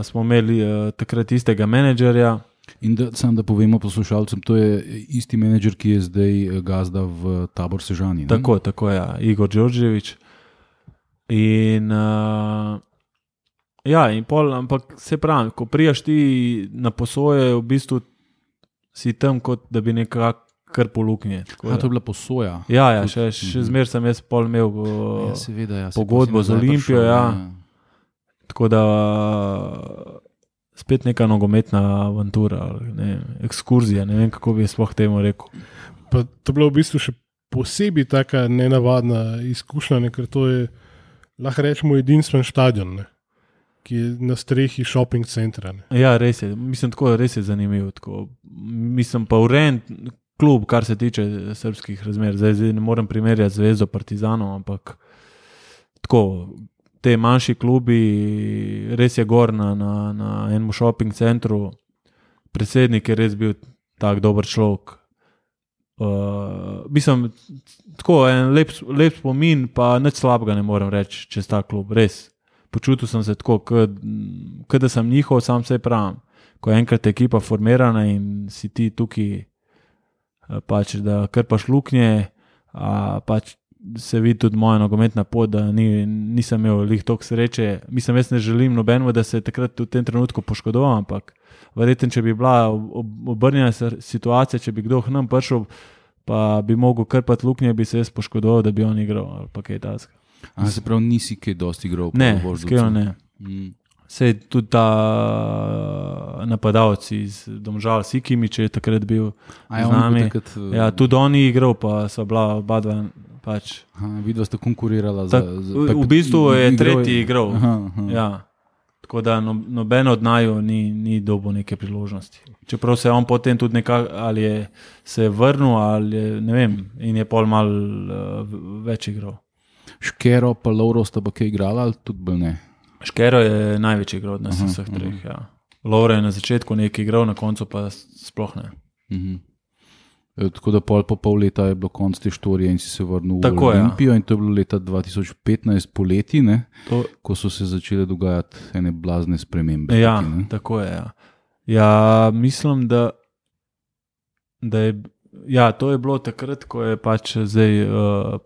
smo imeli takrat istega menedžerja. In da povemo poslušalcem, to je isti menedžer, ki je zdaj gazda v Tabor Sežani. Ne? Tako, ja, Igor Đorđević. In ja, in pol, ampak se pravi, ko prijaš ti na posoje, v bistvu si tam, kot da bi nekako kar poluknje. To je bila posoja? Ja, še zmer sem jaz pol imel pogodbo z Olimpijo, tako da spet neka nogometna avantura, ekskurzija, ne vem, kako bi sploh temu rekel. Pa to je bila v bistvu še posebej taka nenavadna izkušnja, ker to je, lahko rečemo, edinstven stadion, ne? Ki je na strehi shopping centra. Ne? Ja, res je. Mislim, tako res je zanimivo. Tako. Mislim pa urejen klub, kar se tiče srbskih razmer. Zdaj ne morem primerjati Zvezdo Partizanov, ampak tako, te manjši klubi, res je gor na enem shopping centru. Predsednik je res bil tak dober človek. Mislim, tako en lep spomin, pa nič slabega ne morem reči čez ta klub, res. Počutil sem se tako, kot da sem njihov, sam se pravim. Ko je enkrat ekipa formirana in si ti tukaj, pač, da krpaš luknje, pač se vidi tudi moja nogometna pot, da nisem imel lih toliko sreče. Mislim, jaz ne želim nobenemu, da se takrat v tem trenutku poškodoval, ampak verjetno, če bi bila obrnjena situacija, če bi kdo k nam prišel, pa bi mogel krpati luknje, bi se jaz poškodoval, da bi on igral ali pa kaj takega. Se pravi, nisi kaj dosti igral? Ne, skoro ne. Sej tudi ta napadalci iz Domžal, Sikimić je takrat bil z nami. Ja, tudi on je igral, pa so bila oba dva pač. Vidva sta konkurirala v bistvu je tretji igral. Ja. Tako da noben od naju ni dobil neke priložnosti. Čeprav se je on potem tudi nekako, ali je se vrnil, ali je, ne vem, in je pol mal več igral. Škero pa Lovro sta pa kaj igrala, ali tudi bolj ne? Škero je največji igral od nas vseh treh, ja. Lovro je na začetku nekaj igral, na koncu pa sploh ne. Tako da pol leta je bilo konc te štorije in si se vrnil v Olimpijo, in to je bilo leta 2015 poleti, ne? Ko so se začele dogajati ene blazne spremembe. Ja, tako je, ja. Ja, mislim, da je Ja, to je bilo takrat, ko je pač zdaj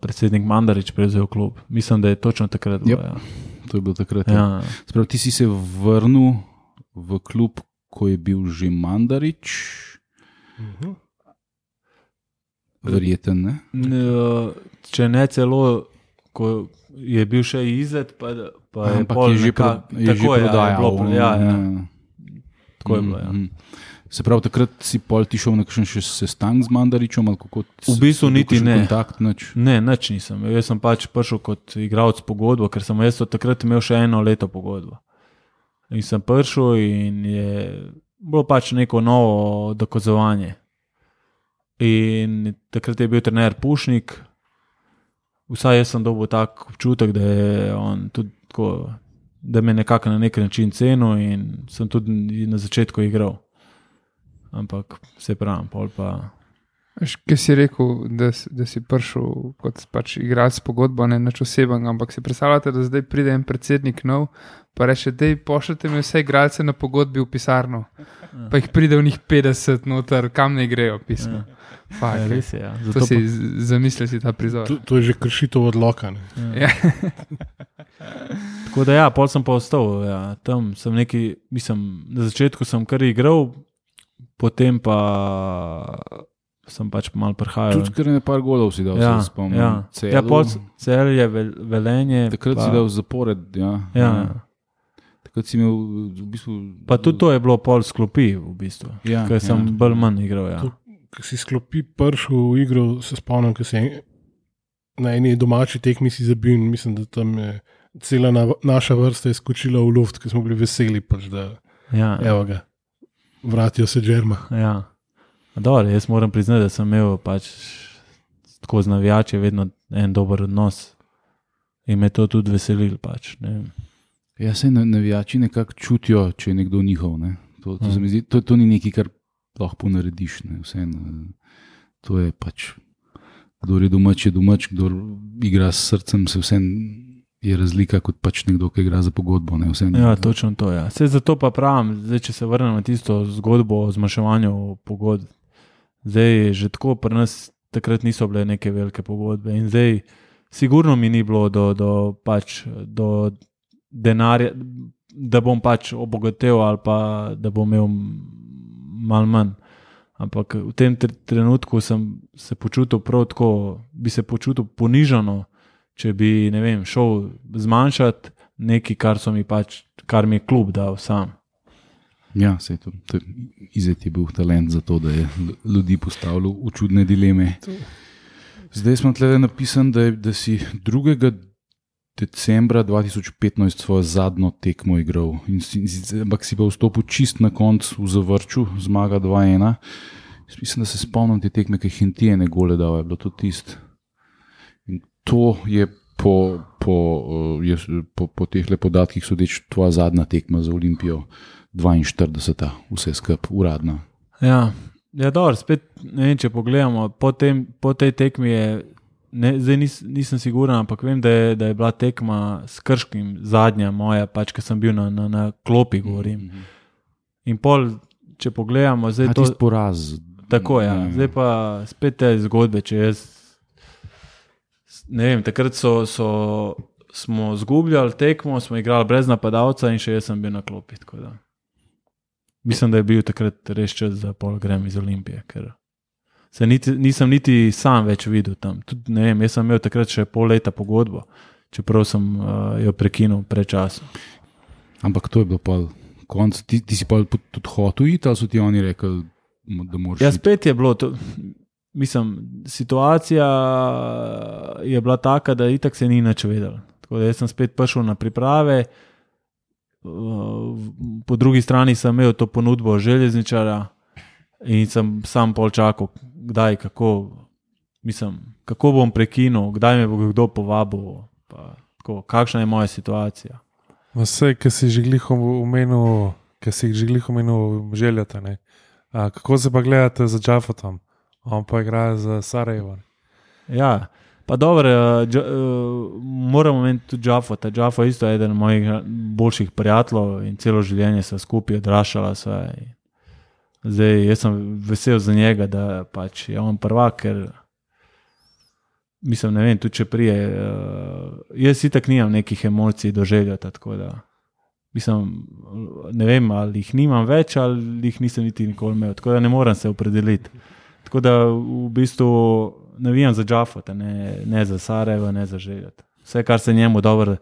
predsednik Mandarić prevzel klub. Mislim, da je točno takrat bilo. Yep. Ja. To je bilo takrat. Ja. Sprav, ti si se vrnil v klub, ko je bil že Mandarić. Verjeten, ne? Če ne celo, ko je bil še Izet, pa je pol je že prodajal. Tako je bilo, ja. Se pravi, takrat si pol ti šel na kakšen še sestanek z Mandarićem? V bistvu niti ne. Kontakt, nič? Ne, nič nisem. Jaz sem pač prišel kot igralec pogodbo, ker sem jaz takrat imel še 1 leto pogodbo. In sem prišel in je bilo pač neko novo dokazovanje. In takrat je bil trener Pušnik. Vsaj jaz sem dobil tak občutek, da je on tudi tako, da me nekako na nek način cenil in sem tudi na začetku igral. Ampak se pravim, pol pa... Kaj si rekel, da si prišel kot pač igralec pogodbo, ne nič oseben, ampak si predstavljate, da zdaj pride en predsednik nov, pa reče, dej pošljite mi vse igralce na pogodbi v pisarno, pa jih pride v njih 50 noter, kam ne grejo pismo. Ja, res je, ja. To si zamislil si ta prizor. To je že kršitev odloka. Ja. Tako da ja, pol sem pa ostal, ja. Tam sem neki, mislim, na začetku sem kar igral, potem pa sem pač malo prihajal. Tudi kar nekaj golov si dal, ja, se spomnim. Ja, Celje, Velenje. Takrat si dal zapored, ja. Takrat si imel v bistvu... Pa tudi to je bilo pol sklopi v bistvu, ja, ker sem bolj manj igral, ja. Ko si sklopi prišel v igro, se spomnim, ko si na eni domači tekmi si zabil in mislim, da tam je cela naša vrsta je skočila v luft, ker smo bili veseli, pač, da evo ga, vratijo se Džerma. Ja. Dobre, jaz moram priznati, da sem imel pač tako z navijači vedno en dober odnos in me to tudi veselil pač. Ne. Ja, se navijači nekako čutijo, če je nekdo njihov. Ne. To se mi zdi, to ni nekaj, kar lahko ponarediš. To je pač, kdor je domač, kdor igra s srcem, se vsem je razlika kot pač nekdo, ki igra za pogodbo. Ne, ja, točno to, ja. Vse zato pa pravim, zdaj, če se vrnem na tisto zgodbo o zmanjševanju pogodb, zdaj že tako pri nas takrat niso bile neke velike pogodbe in zdaj sigurno mi ni bilo do denarja, da bom pač obogatel ali pa da bom imel malo manj. Ampak v tem trenutku sem se počutil prav tako, bi se počutil ponižano, če bi, ne vem, šel zmanjšati nekaj, kar mi je klub dal sam. Ja, sej to Izet je bil talent za to, da je ljudi postavljal v čudne dileme. Zdaj smo tle napisan, da si 2. decembra 2015 svojo zadnjo tekmo igral. Ampak si pa vstopil čist na koncu v Zavrču, zmaga 2-1. Mislim, da se spomnim te tekme, ki Hintije gole dal, je bilo to tisto. In to je po tehle podatkih sodeč tvoja zadnja tekma za Olimpijo, 42. vse skup, uradna. Ja, dobro, spet ne vem, če pogledamo, po tej tekmi je, zdaj nisem siguran, ampak vem, da je bila tekma s Krškim zadnja moja, pač, ker sem bil na klopi, govorim. In pol, če pogledamo, zdaj to... Tisti poraz. Tako, ja. Zdaj pa spet te zgodbe, če jaz ne vem, takrat smo zgubljali tekmo, smo igrali brez napadalca in še jaz sem bil na klopi, tako da. Mislim, da je bil takrat res čas, da pol grem iz Olimpije, ker se nisem niti sam več videl tam. Tudi, ne vem, jaz sem imel takrat še pol leta pogodbo, čeprav sem jo prekinul predčasno. Ampak to je bilo pol konc. Ti si pol tudi hotel iti, ali so ti oni rekli, da moraš iti? Ja, spet je bilo to, mislim, situacija je bila taka, da itak se ni nič vedel. Tako da jaz sem spet prišel na priprave, po drugi strani sem imel to ponudbo železničara in sem sam pol čakal, kdaj, kako bom prekinul, kdaj me bo kdo povabil, pa tako, kakšna je moja situacija. Vse, ki si že glih omenil Željata, ne? Kako se pa gledate za Džafotom? On pa igra za Sarajevo. Ja, pa dobro, moramo omeniti tudi Džafota. Džafo je isto eden mojih boljših prijateljev in celo življenje se skupaj odraščala. Zdaj, jaz sem vesel za njega, da pač je on prvak, ker mislim, ne vem, tudi če prije, jaz itak nimam nekih emocij do Željota, tako da mislim, ne vem, ali jih nimam več, ali jih nisem niti nikoli imel, tako da ne moram se opredeliti. Tako da v bistvu navijam za Džafota, ne za Sarajevo, ne za Željota. Vse, kar se njemu dobro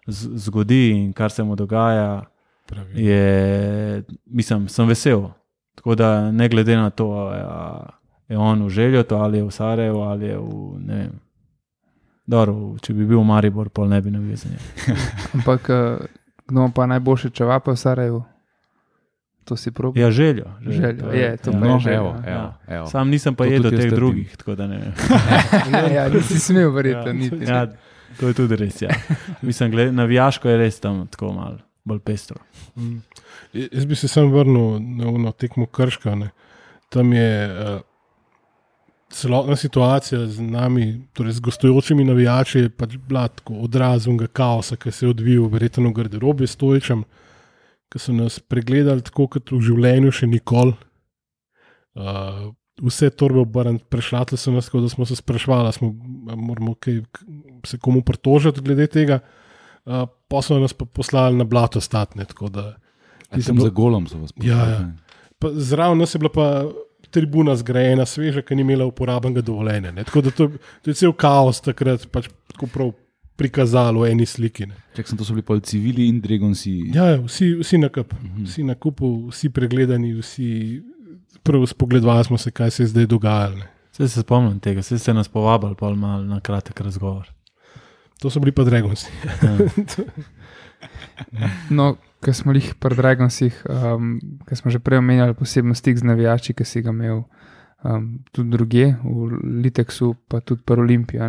zgodi in kar se mu dogaja, mislim, sem vesel. Tako da ne glede na to, je on v Željotu, ali je v Sarajevu, ali je v, ne vem, dobro, če bi bil v Maribor, pol ne bi navijal za njega. Ampak kdo pa najboljše čevape v Sarajevu? To si probil? Ja, Željo. To pa je Željo. Evo. Sam nisem pa jedel teh drugih, tako da ne vem. Ja, nisi smel verjeti, niti. Ja, to je tudi res, ja. Mislim, navijaško je res tam tako malo bolj pestro. Jaz bi se sam vrnil na tekmo Krška. Ne. Tam je celotna situacija z nami, torej z gostujočimi navijači, je pač bila tako odraz unega kaosa, ki se je odvijal verjetno v garderobi Stojičem, ki so nas pregledali tako, kot v življenju še nikoli. Vse torbe obrniti, prešlatili so nas, tako da smo se sprašvali, moramo se komu pritožiti glede tega. Pa so nas pa poslali na blato statne. Za golom so vas poslali. Ja. Zraven nas je bila pa tribuna zgrajena, sveža, ki ni imela uporabnega dovoljenja. Tako da to je cel kaos takrat pač tako prav prikazalo v eni sliki. Čak sem to so bili pol civili in Dragonsi. Ja, vsi na kup. Vsi na kupu, vsi pregledani, vsi prvo spogledovali smo se, kaj se je zdaj dogajalo. Vse se spomnim tega, vse ste nas povabili pol malo na kratek razgovor. To so bili pa Dragonsi. No, ko smo jih pri Dragonsih, ko smo že prej omenjali posebno stik z navijači, ki si ga imel tudi drugje, v Liteksu, pa tudi pri Olimpiji.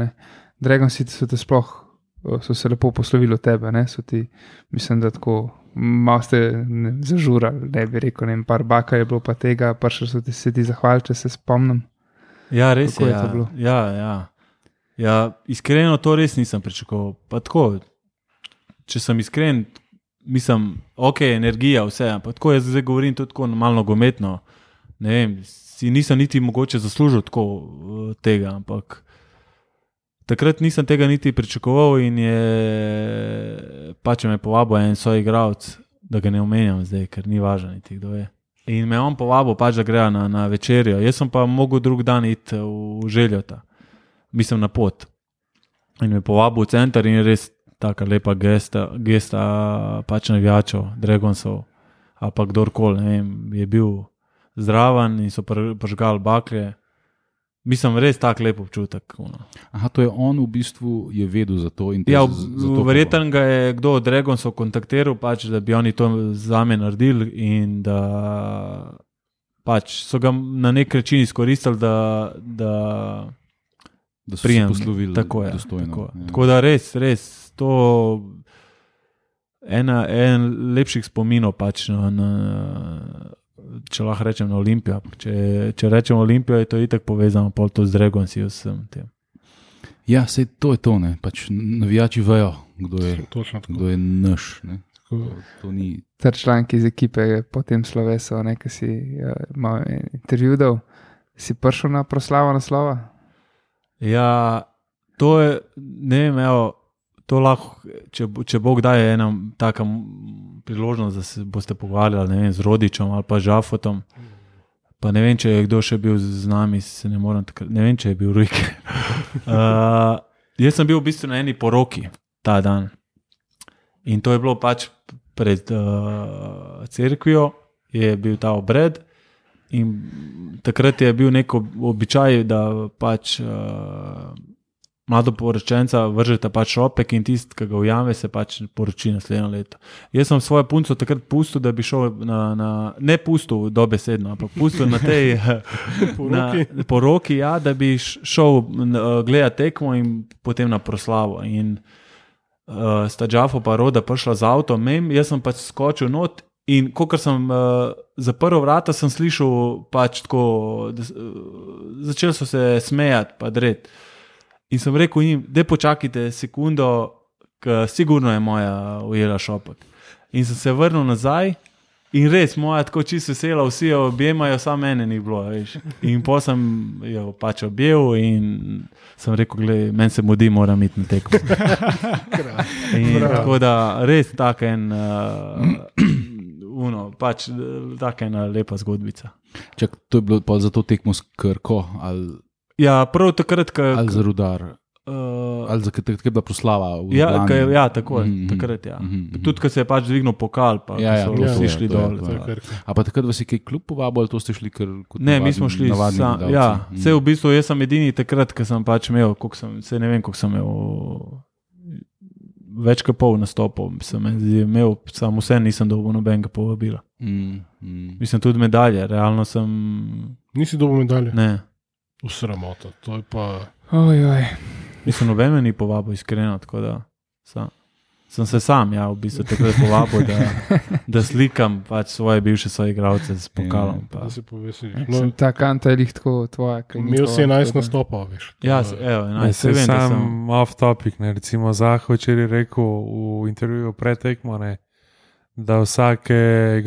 Dragonsi so te sploh, so se lepo poslovili od tebe, ne? So ti, mislim, da tako malo ste zažurali, ne bi rekel, ne vem, par baka je bilo pa tega, prišli so se ti zahvaliti, če se spomnim. Ja, res Kako je to bilo? Ja, iskreno to res nisem pričakoval. Pa tako, če sem iskren, mislim, ok, energija, vse, ampak tako jaz zdaj govorim tudi tako malo nogometno, ne vem, si nisem niti mogoče zaslužil tako tega, ampak takrat nisem tega niti pričakoval in je pač me povabil en soigralec, da ga ne omenjam zdaj, ker ni važno niti kdo je. In me on povabil pač, da grejo na večerjo. Jaz sem pa mogel drug dan iti v Željota, mislim na pot. In me povabil v center in je res taka lepa gesta pač navijačev, Dragonsov, ali pa kdorkoli, ne vem, je bil zdraven in so prižgali bakle. Mislim, res tak lep občutek. Aha, to je on v bistvu je vedel za to. Ja, verjetno ga je kdo od Dragonsov kontaktiral, pač, da bi oni to zame naredili in da pač so ga na nek način izkoristili, da so se poslovili tako je, dostojno. Tako. Ja. Tako da res, to en lepših spominov pač če lahko rečem na Olimpijo. Če rečem Olimpijo, je to itak povezano pol to z Dragonsi vsem tem. Ja, sej to je to, ne. Pač navijači vejo, kdo je naš. Ne. To ni... Ter članki iz ekipe po tem slovesu, ki si malo intervju dal, si prišel na proslavo naslova? Ja, to je, ne vem, to lahko, če Bog daje ena taka priložnost, da se boste pogovarjali, ne vem, z Rodičem ali pa Žafotom, pa ne vem, če je kdo še bil z nami, ne vem, če je bil Rujke. Jaz sem bil v bistvu na eni poroki ta dan in to je bilo pač pred cerkvijo, je bil ta obred in takrat je bil nek običaj, da pač mladoporočenca vržeta pač šopek in tist, ki ga ujame, se pač poroči naslednjo leto. Jaz sem svojo punco takrat pustil, da bi šel ne pustil dobesedno, ampak pustil na tej poroki, ja, da bi šel gledati tekmo in potem na proslavo. In sta Džafo pa Roda prišla z avtom, jaz sem pač skočil not in kakor sem zaprl vrata, sem slišal pač tako, začeli so se smejati pa dret. In sem rekel jim, da počakajte sekundo, ker sigurno je moja ujela šopek. In sem se vrnil nazaj In res, moja tako čisto vesela, vsi jo objemajo, samo mene ni bilo, veš. In pa sem jo pač objel in sem rekel, glej, meni se mudi, moram iti na tekmo. In tako da res tak en, pač taka ena lepa zgodbica. Čak, to je bilo pa za to tekmo s Krko ali Ja, prav takrat, ali za Rudar. Ali za takrat je bila proslava v Ljubljani. Ja, tako je, takrat, ja. Tudi, ko se je pač dvignil pokal, pa so vsi šli dol. A pa takrat vas je kaj klub povabil, ali to ste šli kot Ne, mi smo šli vse v bistvu, jaz sem edini takrat, ko sem pač imel, ne vem, koliko sem imel, več kot pol nastopov, sem imel, samo vse nisem dobil nobenega povabila. Mislim, tudi medalje, realno sem... Nisi dobil medalje? Ne. V sramoto, to je pa... Mislim, noben me ni povabil iskreno, tako da sem se sam, v bistvu takrat povabil, da slikam pač svoje bivše soigralce s pokalom. Da se povesiš. Ta kanta je lih tako tvoja. Imel si 11 nastopov, veš. Ja, 11. Se vem, sam off topic, ne, recimo Zaho včeraj rekel v intervjuju pred tekmo, ne, da vsake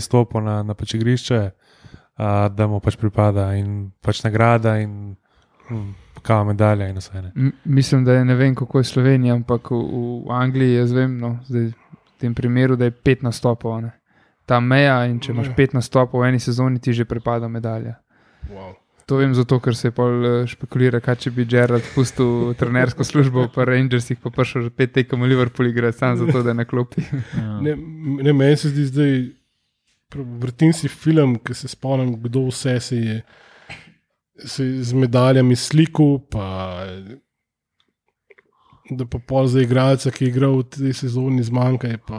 stopo na pač igrišče, da mu pač pripada in pač nagrada in kao medalja in vse. Mislim, da je, ne vem, kako je Slovenija, ampak v Angliji jaz vem, zdaj v tem primeru, da je 5 nastopov, ne. Ta meja in če imaš 5 nastopov v eni sezoni, ti že pripada medalja. Wow. To vem zato, ker se je pol špekulira, kaj če bi Gerrard pustil trenersko službo pa Rangersih, pa prišel že 5 tekem v Liverpool igrati, sam zato, da je na klopi. Ne, meni se zdi zdaj, vrtim si film, ki se spomnim, kdo vse se je z medaljami sliku, pa da pa pol za igralca, ki je igral v tej sezoni zmanjka, je pa,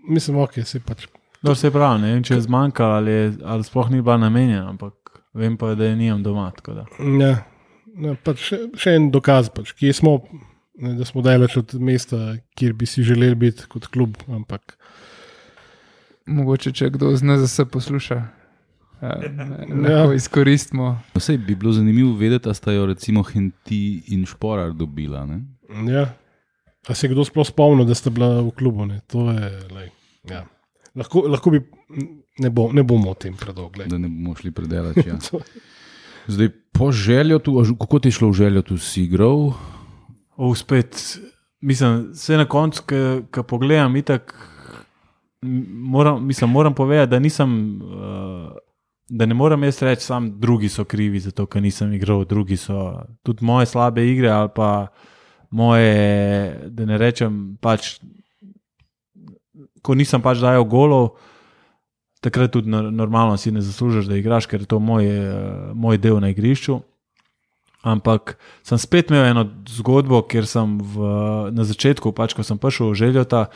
mislim, se pač... No, se pravi, ne vem, če je zmanjka ali sploh ni bila namenjena, ampak vem pa, da je nimam doma, tako da. Ja, pač še en dokaz, pač, kje smo, da smo daleč od mesta, kjer bi si želeli biti kot klub, ampak... Mogoče, če kdo z NZS posluša, lahko izkoristimo. Vsej bi bilo zanimivo vedeti, da sta jo recimo Henti in Šporar dobila, ne? Ja, a se je kdo sploh spomnil, da sta bila v klubu, ne? To je, ja. Lahko bi, ne bomo o tem predolgo. Da ne bomo šli predelati, ja. Zdaj, po Željotu, kako ti je šlo v Željotu, si igral? Spet, mislim, vse na koncu, ko pogledam, itak, moram povedati, da nisem, da ne moram jaz reči, sam drugi so krivi za to, ker nisem igral, drugi so tudi moje slabe igre ali pa moje, da ne rečem, pač, ko nisem pač dajal golov, takrat tudi normalno si ne zaslužiš, da igraš, ker je to moj del na igrišču. Ampak sem spet imel eno zgodbo, ker sem na začetku, pač, ko sem prišel v Željota,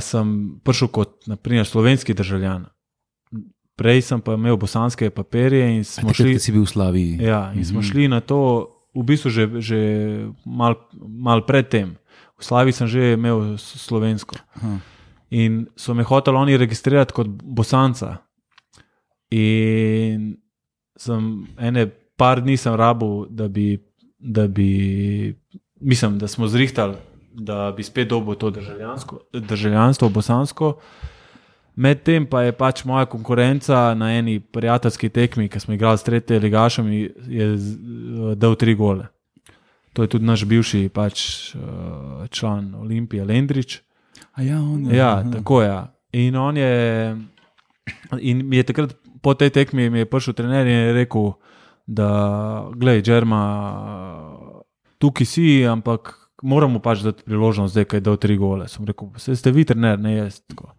sem prišel kot, naprimer, slovenski državljan. Prej sem pa imel bosanske papirje in smo šli... si bil v Slaviji. Ja, in smo šli na to, v bistvu že mal pred tem. V Slaviji sem že imel slovensko. In so me hoteli oni registrirati kot bosanca. In sem par dni sem rabil, da bi mislim, da smo zrihtali, da bi spet dobil to državljanstvo bosansko. Medtem pa je pač moja konkurenca na eni prijateljski tekmi, ki smo igrali s tretjim ligašem, je dal 3 gole. To je tudi naš bivši pač član Olimpije, Lendrič. Tako je. In on je mi je takrat po tej tekmi mi je prišel trener in je rekel, da glej, Džerma, tukaj si, ampak moramo pač dati priložnost zdaj, kaj je dal 3 gole. Sem rekel, ste vi trener, ne jaz. Tako.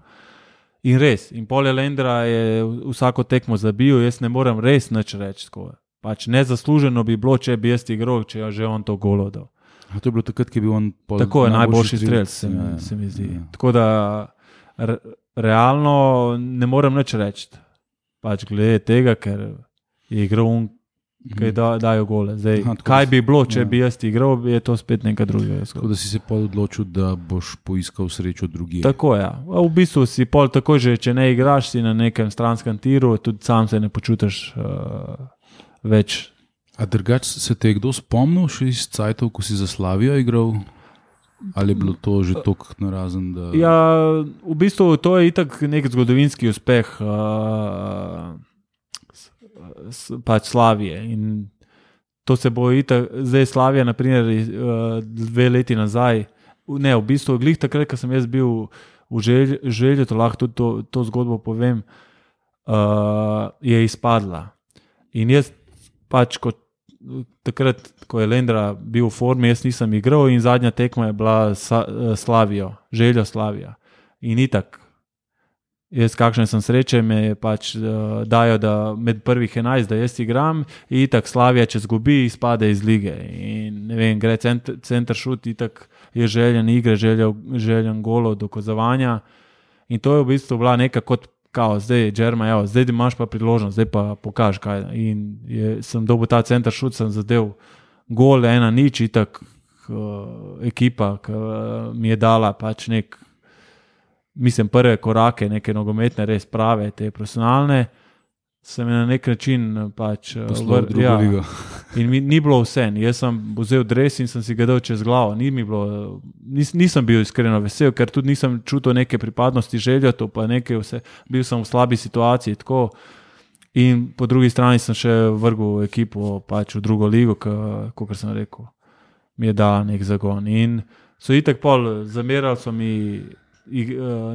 In res, in Polja Lendra je vsako tekmo zabil, jaz ne morem res nič reči. Pač nezasluženo bi bilo, če bi jaz igral, če je že on to golo dal. A to je bilo takrat, ki je bil on tako je najboljši strelec, se mi zdi. Tako da realno ne morem nič reči. Pač glede tega, ker je igral on, kaj dajo gole. Zdaj, kaj bi bilo, če bi jaz igral, je to spet nekaj drugega. Tako da si se pol odločil, da boš poiskal srečo drugje. Tako je. V bistvu si pol tako, že če ne igraš, si na nekem stranskem tiru, tudi sam se ne počutiš več. A drugače se te je kdo spomnil še iz cajtov, ko si za Slavijo igral? Ali je bilo to že toliko narazen? Da... Ja, v bistvu to je itak nek zgodovinski uspeh pač Slavije. In to se bo itak, zdaj Slavija, naprimer, 2 leti nazaj, ne, v bistvu, glih takrat, ko sem jaz bil v Želju, to lahko tudi to zgodbo povem, je izpadla. In jaz pač takrat, ko je Lendra bil v formi, jaz nisem igral in zadnja tekma je bila Slavijo, Željo Slavija. In itak, jaz kakšne sem sreče, me pač dajo, da med prvih 11, da jaz igram, in itak Slavija, če zgubi, izpade iz lige. In ne vem, gre center šut, itak je željen igre, željen golo, dokazovanja. In to je v bistvu bila neka kot kao, zdaj, Džerma, evo, zdaj imaš pa priložnost, zdaj pa pokaž kaj. In sem dobil ta center šut, sem zadev gol, 1-0, itak ekipa, ki mi je dala pač mislim, prve korake, neke nogometne, res prave, te profesionalne, sem na nek način pač poslal drugo ligo. In ni bilo vse. Jaz sem vzel dres in sem si ga dal čez glavo. Nisem bil iskreno vesel, ker tudi nisem čutil neke pripadnosti Željotu, pa nekaj vse. Bil sem v slabi situaciji, tako. In po drugi strani sem še vrgel ekipo pač v drugo ligo, kot sem rekel, mi je dala nek zagon. In so itak pol, zamerali so mi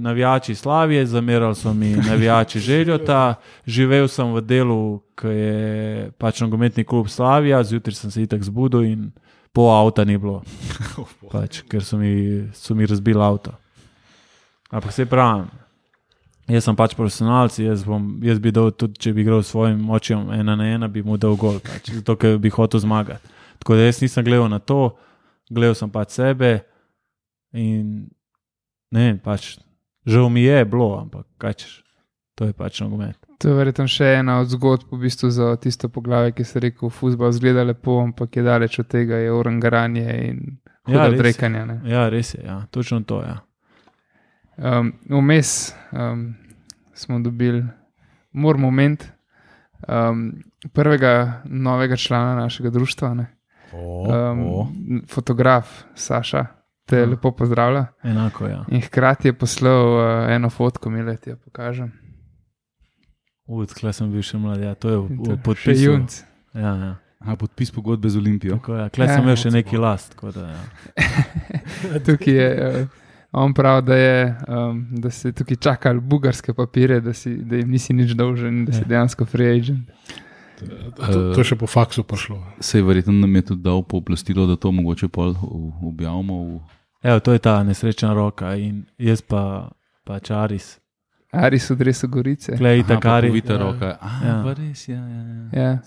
navijači Slavije, zamerali so mi navijači Željota, živel sem v delu, ki je pač nogometni klub Slavija, zjutraj sem se itak zbudil in pol avta ni bilo, pač, ker so mi razbili avto. Ampak se pravim, jaz sem pač profesionalc, jaz bi dal tudi, če bi igral s svojim očem 1-1, bi mu dal gol, pač, zato ker bi hotel zmagati. Tako da jaz nisem gledal na to, gledal sem pač sebe in ne, pač, žal mi je bilo, ampak kaj češ, to je pač nogomet. To je verjetno še ena od zgodb v bistvu za tisto poglavje, ki se rekel, fuzbal zgleda lepo, ampak je daleč od tega, je orangaranje in hudo odrekanje. Ne? Ja, res je, ja, točno to, ja. Vmes smo dobili moment prvega novega člana našega društva, ne? Fotograf Saša te lepo pozdravlja. Enako, ja. In hkrati je poslal eno fotko, mi leti jo pokažem. Tkaj sem bil še mlad, ja, to je v podpisu. Še junc. Ja, ja. Podpis pogodbe z Olimpijo. Tako, ja. Tkaj sem imel še neki last. Tako da, ja. Tukaj je, on pravi, da se tukaj čakali bugarske papire, da jim nisi nič dolžen, da si dejansko free agent. To še po faksu prišlo. Sej verjetno nam je tudi dal pooblastilo, da to mogoče pol objavimo. Evo, to je ta nesrečna roka in jaz pač Aris. Aris v dresu Gorice. Klej itak Aris. Povita roka. Ja. Pa res, ja.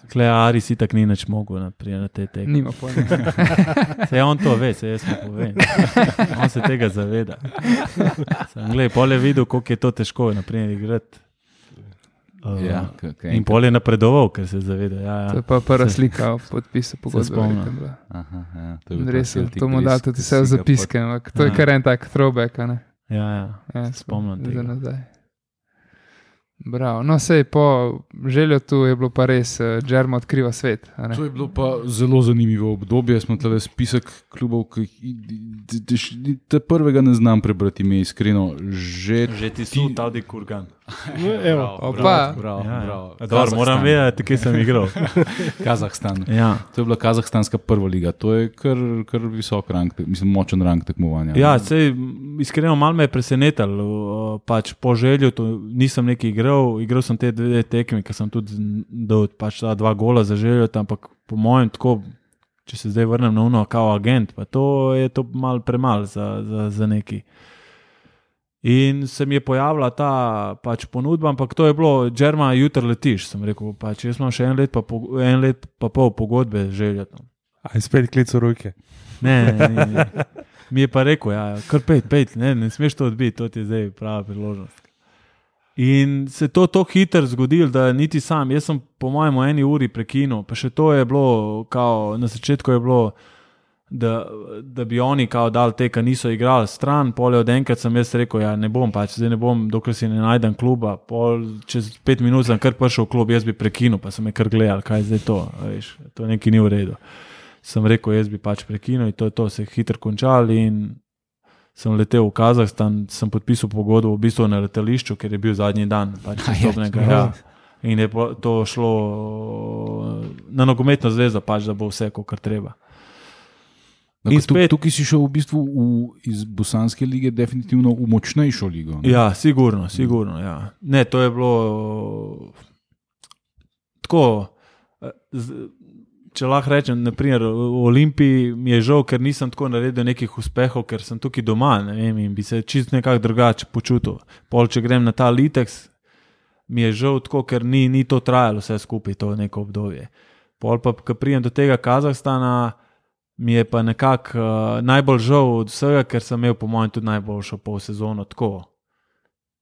Klej Aris itak ni nič mogel na te tekme. Nima pojma. Sej on to ve, sej jaz mu povem. On se tega zaveda. Glej, pol je videl, koliko je to težko, naprimer, igrati. In pol je napredoval, ker se zaveda. Ja. To je pa prva slika v podpisu pogodbe. To mu da tudi vse v zapiske, to je kar en tak throwback, ne? Ja, spomnim tega. Za nazaj. Bravo. No, sej po Željotu je bilo pa res, Džerma odkriva svet. To je bilo pa zelo zanimivo obdobje. Smo tle spisek klubov, ki te prvega ne znam prebrati ime, iskreno. Že ti so Tadi Kurgan. Bravo. Moram vedeti, kje sem igral. Kazahstan. Ja. To je bila kazahstanska prva liga. To je kar visok rang, mislim, močen rang tekmovanja. Ja, sej, iskreno malo me je presenetilo. Pač po Željotu nisem neki igral sem te 2 tekme, ki sem tudi dal pač 2 gola za Željot, ampak po mojem tako, če se zdaj vrnem na uno kao agent, pa to je to malo premalo za neki. In se mi je pojavila ta pač ponudba, ampak to je bilo, Džerma, jutri letiš, sem rekel, pač jaz imam še 1 let pa pol pogodbe z Željotom. A je spet klic v roke? Ne. Mi je pa rekel, ja, kar 5, ne smeš to odbiti, to ti je zdaj prava priložnost. In se to hitro zgodilo, da niti sam, jaz sem po mojem 1 uri prekinil, pa še to je bilo, kao, na začetku je bilo, da bi oni kao dali te, ki niso igrali stran, pol od enkrat sem jaz rekel, ja ne bom pač, zdaj ne bom, dokler si ne najdem kluba, pol čez 5 minut sem kar prišel v klub, jaz bi prekinil, pa sem me kar gledal, kaj je zdaj to, veš, to nekaj ni v redu. Sem rekel, jaz bi pač prekinil in to se hitro končali in sem letel v Kazahstan, sem podpisal pogodbo v bistvu na letališču, ker je bil zadnji dan pač vstopnega. Ja. In je to šlo na nogometno zvezo, pač, da bo vse, kar treba. Tukaj si šel v bistvu iz Bosanske lige definitivno v močnejšo ligo. Ne? Ja, sigurno. Ja. Ne, to je bilo tako, če lahko rečem, naprimer, v Olimpiji mi je žal, ker nisem tako naredil nekih uspehov, ker sem tukaj doma, ne vem, in bi se čisto nekako drugače počutil. Pol, če grem na ta Litex, mi je žal tako, ker ni to trajalo vse skupaj, to neko obdobje. Pol pa, ko pridem do tega Kazahstana, mi je pa nekako najbolj žal od vsega, ker sem imel po mojem tudi najboljšo polsezono tako.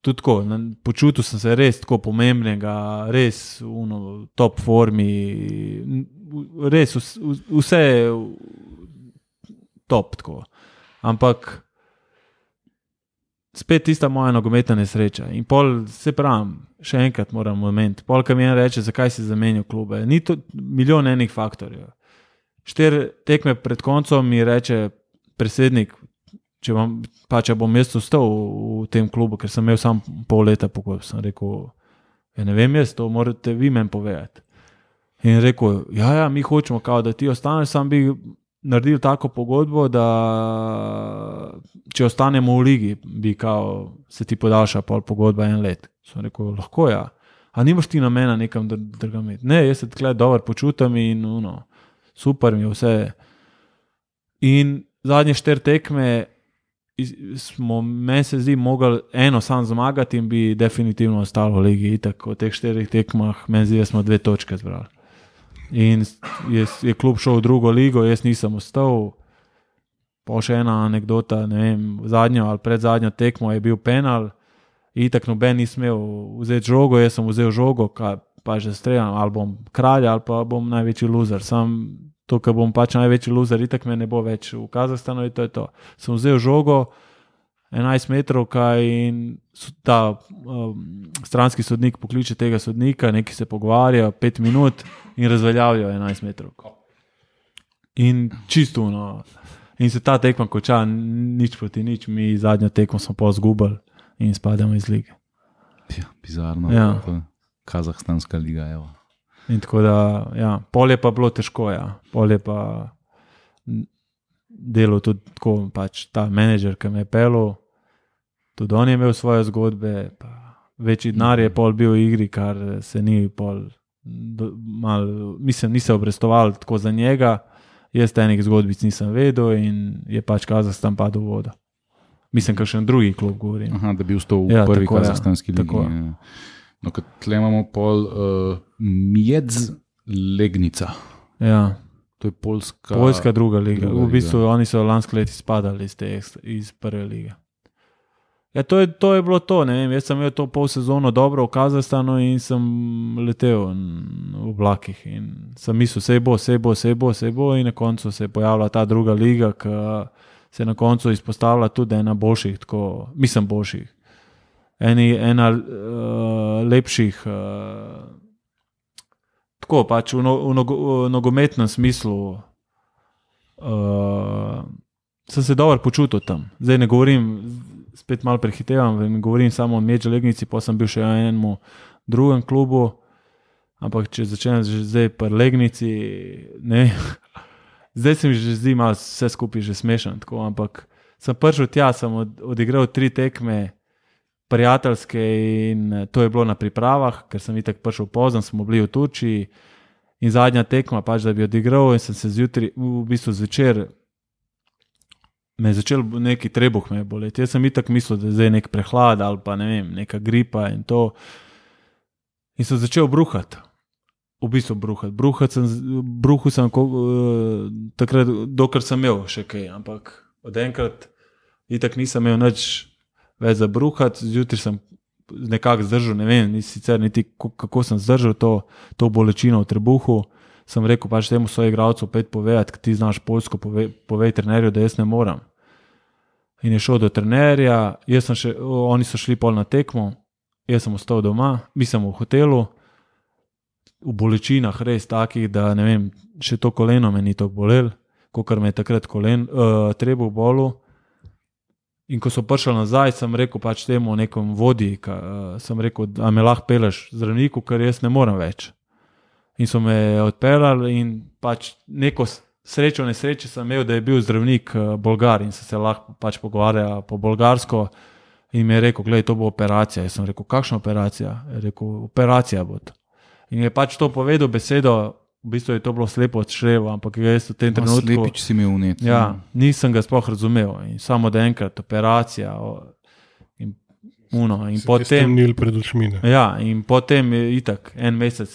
Tudi tako, počutil sem se res tako pomembnega, res v top formi, res vse top tako. Ampak spet tista moja nogometna nesreča. In pol, se pravim, še enkrat moram moment, pol, ko mi en reče, zakaj si zamenil klube. Ni to milijon enih faktorjev. 4 tekme pred koncem mi reče predsednik, če bom jaz ostal v tem klubu, ker sem imel sam pol leta pogodb. Sem rekel, ne vem jaz, to morate vi meni povedati. In rekel, ja, mi hočemo, da ti ostaneš, sam bi naredil tako pogodbo, da če ostanemo v ligi, bi se ti podaljša pol pogodba 1 let. Sem rekel, lahko ja. A nimaš ti namena nekam drugam imeti? Ne, jaz se takle dobro počutam in super mi je vse. In zadnje 4 tekme smo, meni se zdi, mogli eno sam zmagati in bi definitivno ostalo v ligi. Itak v teh 4 tekmah meni zdi, da smo 2 točke zbrali. In je klub šel v drugo ligo, jaz nisem ostal. Pa še ena anekdota, ne vem, zadnjo ali predzadnjo tekmo je bil penal, itak noben ni smel vzeti žogo, jaz sem vzel žogo, pa že streljam, ali bom kralj, ali pa bom največji loser. Sam to, ker bom pač največji loser, itak me ne bo več v Kazahstanu in to je to. Sem vzel žogo, 11 metrov, in ta stranski sodnik pokliče tega sodnika, neki se pogovarjajo 5 minut in razveljavijo 11 metrov. In čisto in se ta tekma konča, nič proti nič, mi zadnjo tekmo smo pa izgubili in spadamo iz lige. Ja, bizarno. Ja. Kazahstanska liga, evo. In tako da, ja, pol je pa bilo težko, ja. Pol je pa delal tudi tako, pač ta menedžer, ki me je pelil, tudi on je imel svoje zgodbe, pa večji denar je pol bil v igri, kar se ni pol ni se obrestoval tako za njega, jaz enih zgodbic nisem vedel in je pač Kazahstan padel v vodo. Mislim, kakšen drugi klub govorim. Aha, da bi ustal v prvi kazahstanski ligi. Tako. No, kad tle imamo pol Miedz Legnica. Ja. To je Poljska druga liga. V bistvu oni so lansko leto izpadali iz prve lige. Ja, to je bilo to, ne vem, jaz sem imel to pol sezono dobro v Kazahstanu in sem letel v vlakih in sem mislil, sej bo in na koncu se je pojavila ta druga liga, ki se na koncu izpostavlja tudi ena boljših, boljših. Ena lepših, tako pač v nogometnem smislu sem se dobro počutil tam. Zdaj ne govorim, spet malo prehitevam, ne govorim samo o Miedz Legnici, pa sem bil še v enemu drugem klubu, ampak če začnem zdaj pri Legnici, ne vem, zdaj se mi že zdi malo vse skupaj že smešen, tako, ampak sem prišel tja, sem odigral 3 tekme prijateljske in to je bilo na pripravah, ker sem itak prišel pozno, smo bili v Turčiji in zadnja tekma pač, da bi odigral in sem se zjutraj, v bistvu zvečer me je začel neki trebuh me boleti. Jaz sem itak mislil, da je zdaj nek prehlad ali pa ne vem, neka gripa in to. In sem začel bruhati. V bistvu bruhati. Bruhal sem takrat, dokler sem imel še kaj, ampak od enkrat itak nisem imel nič več za bruhati, zjutraj sem nekako zdržal, ne vem, sicer niti kako sem zdržal to bolečino v trebuhu. Sem rekel pač temu soigralcu opet povedati, ki ti znaš poljsko, povej trenerju, da jaz ne moram. In je šel do trenerja, oni so šli pol na tekmo, jaz sem ostal doma, mi sem v hotelu, v bolečinah res takih, da ne vem, še to koleno me ni tako bolel, kakor me je takrat trebuh bolel. In ko so prišli nazaj, sem rekel pač temu nekom vodji, sem rekel, da me lahko peleš zdravniku, ker jaz ne morem več. In so me odpeljali in pač neko nesreče sem imel, da je bil zdravnik Bolgar in se lahko pač pogovarja po bolgarsko in mi je rekel, gledaj, to bo operacija. Jaz sem rekel, kakšna operacija? Je rekel, operacija bo to. In je pač to povedal besedo, v bistvu je to bilo slepo od šreva, ampak jaz v tem trenutku... Slepič si imel vnet. Ja, nisem ga sploh razumel. In samo da enkrat operacija in potem... Stemnil pred očmi. Ja, in potem je itak en mesec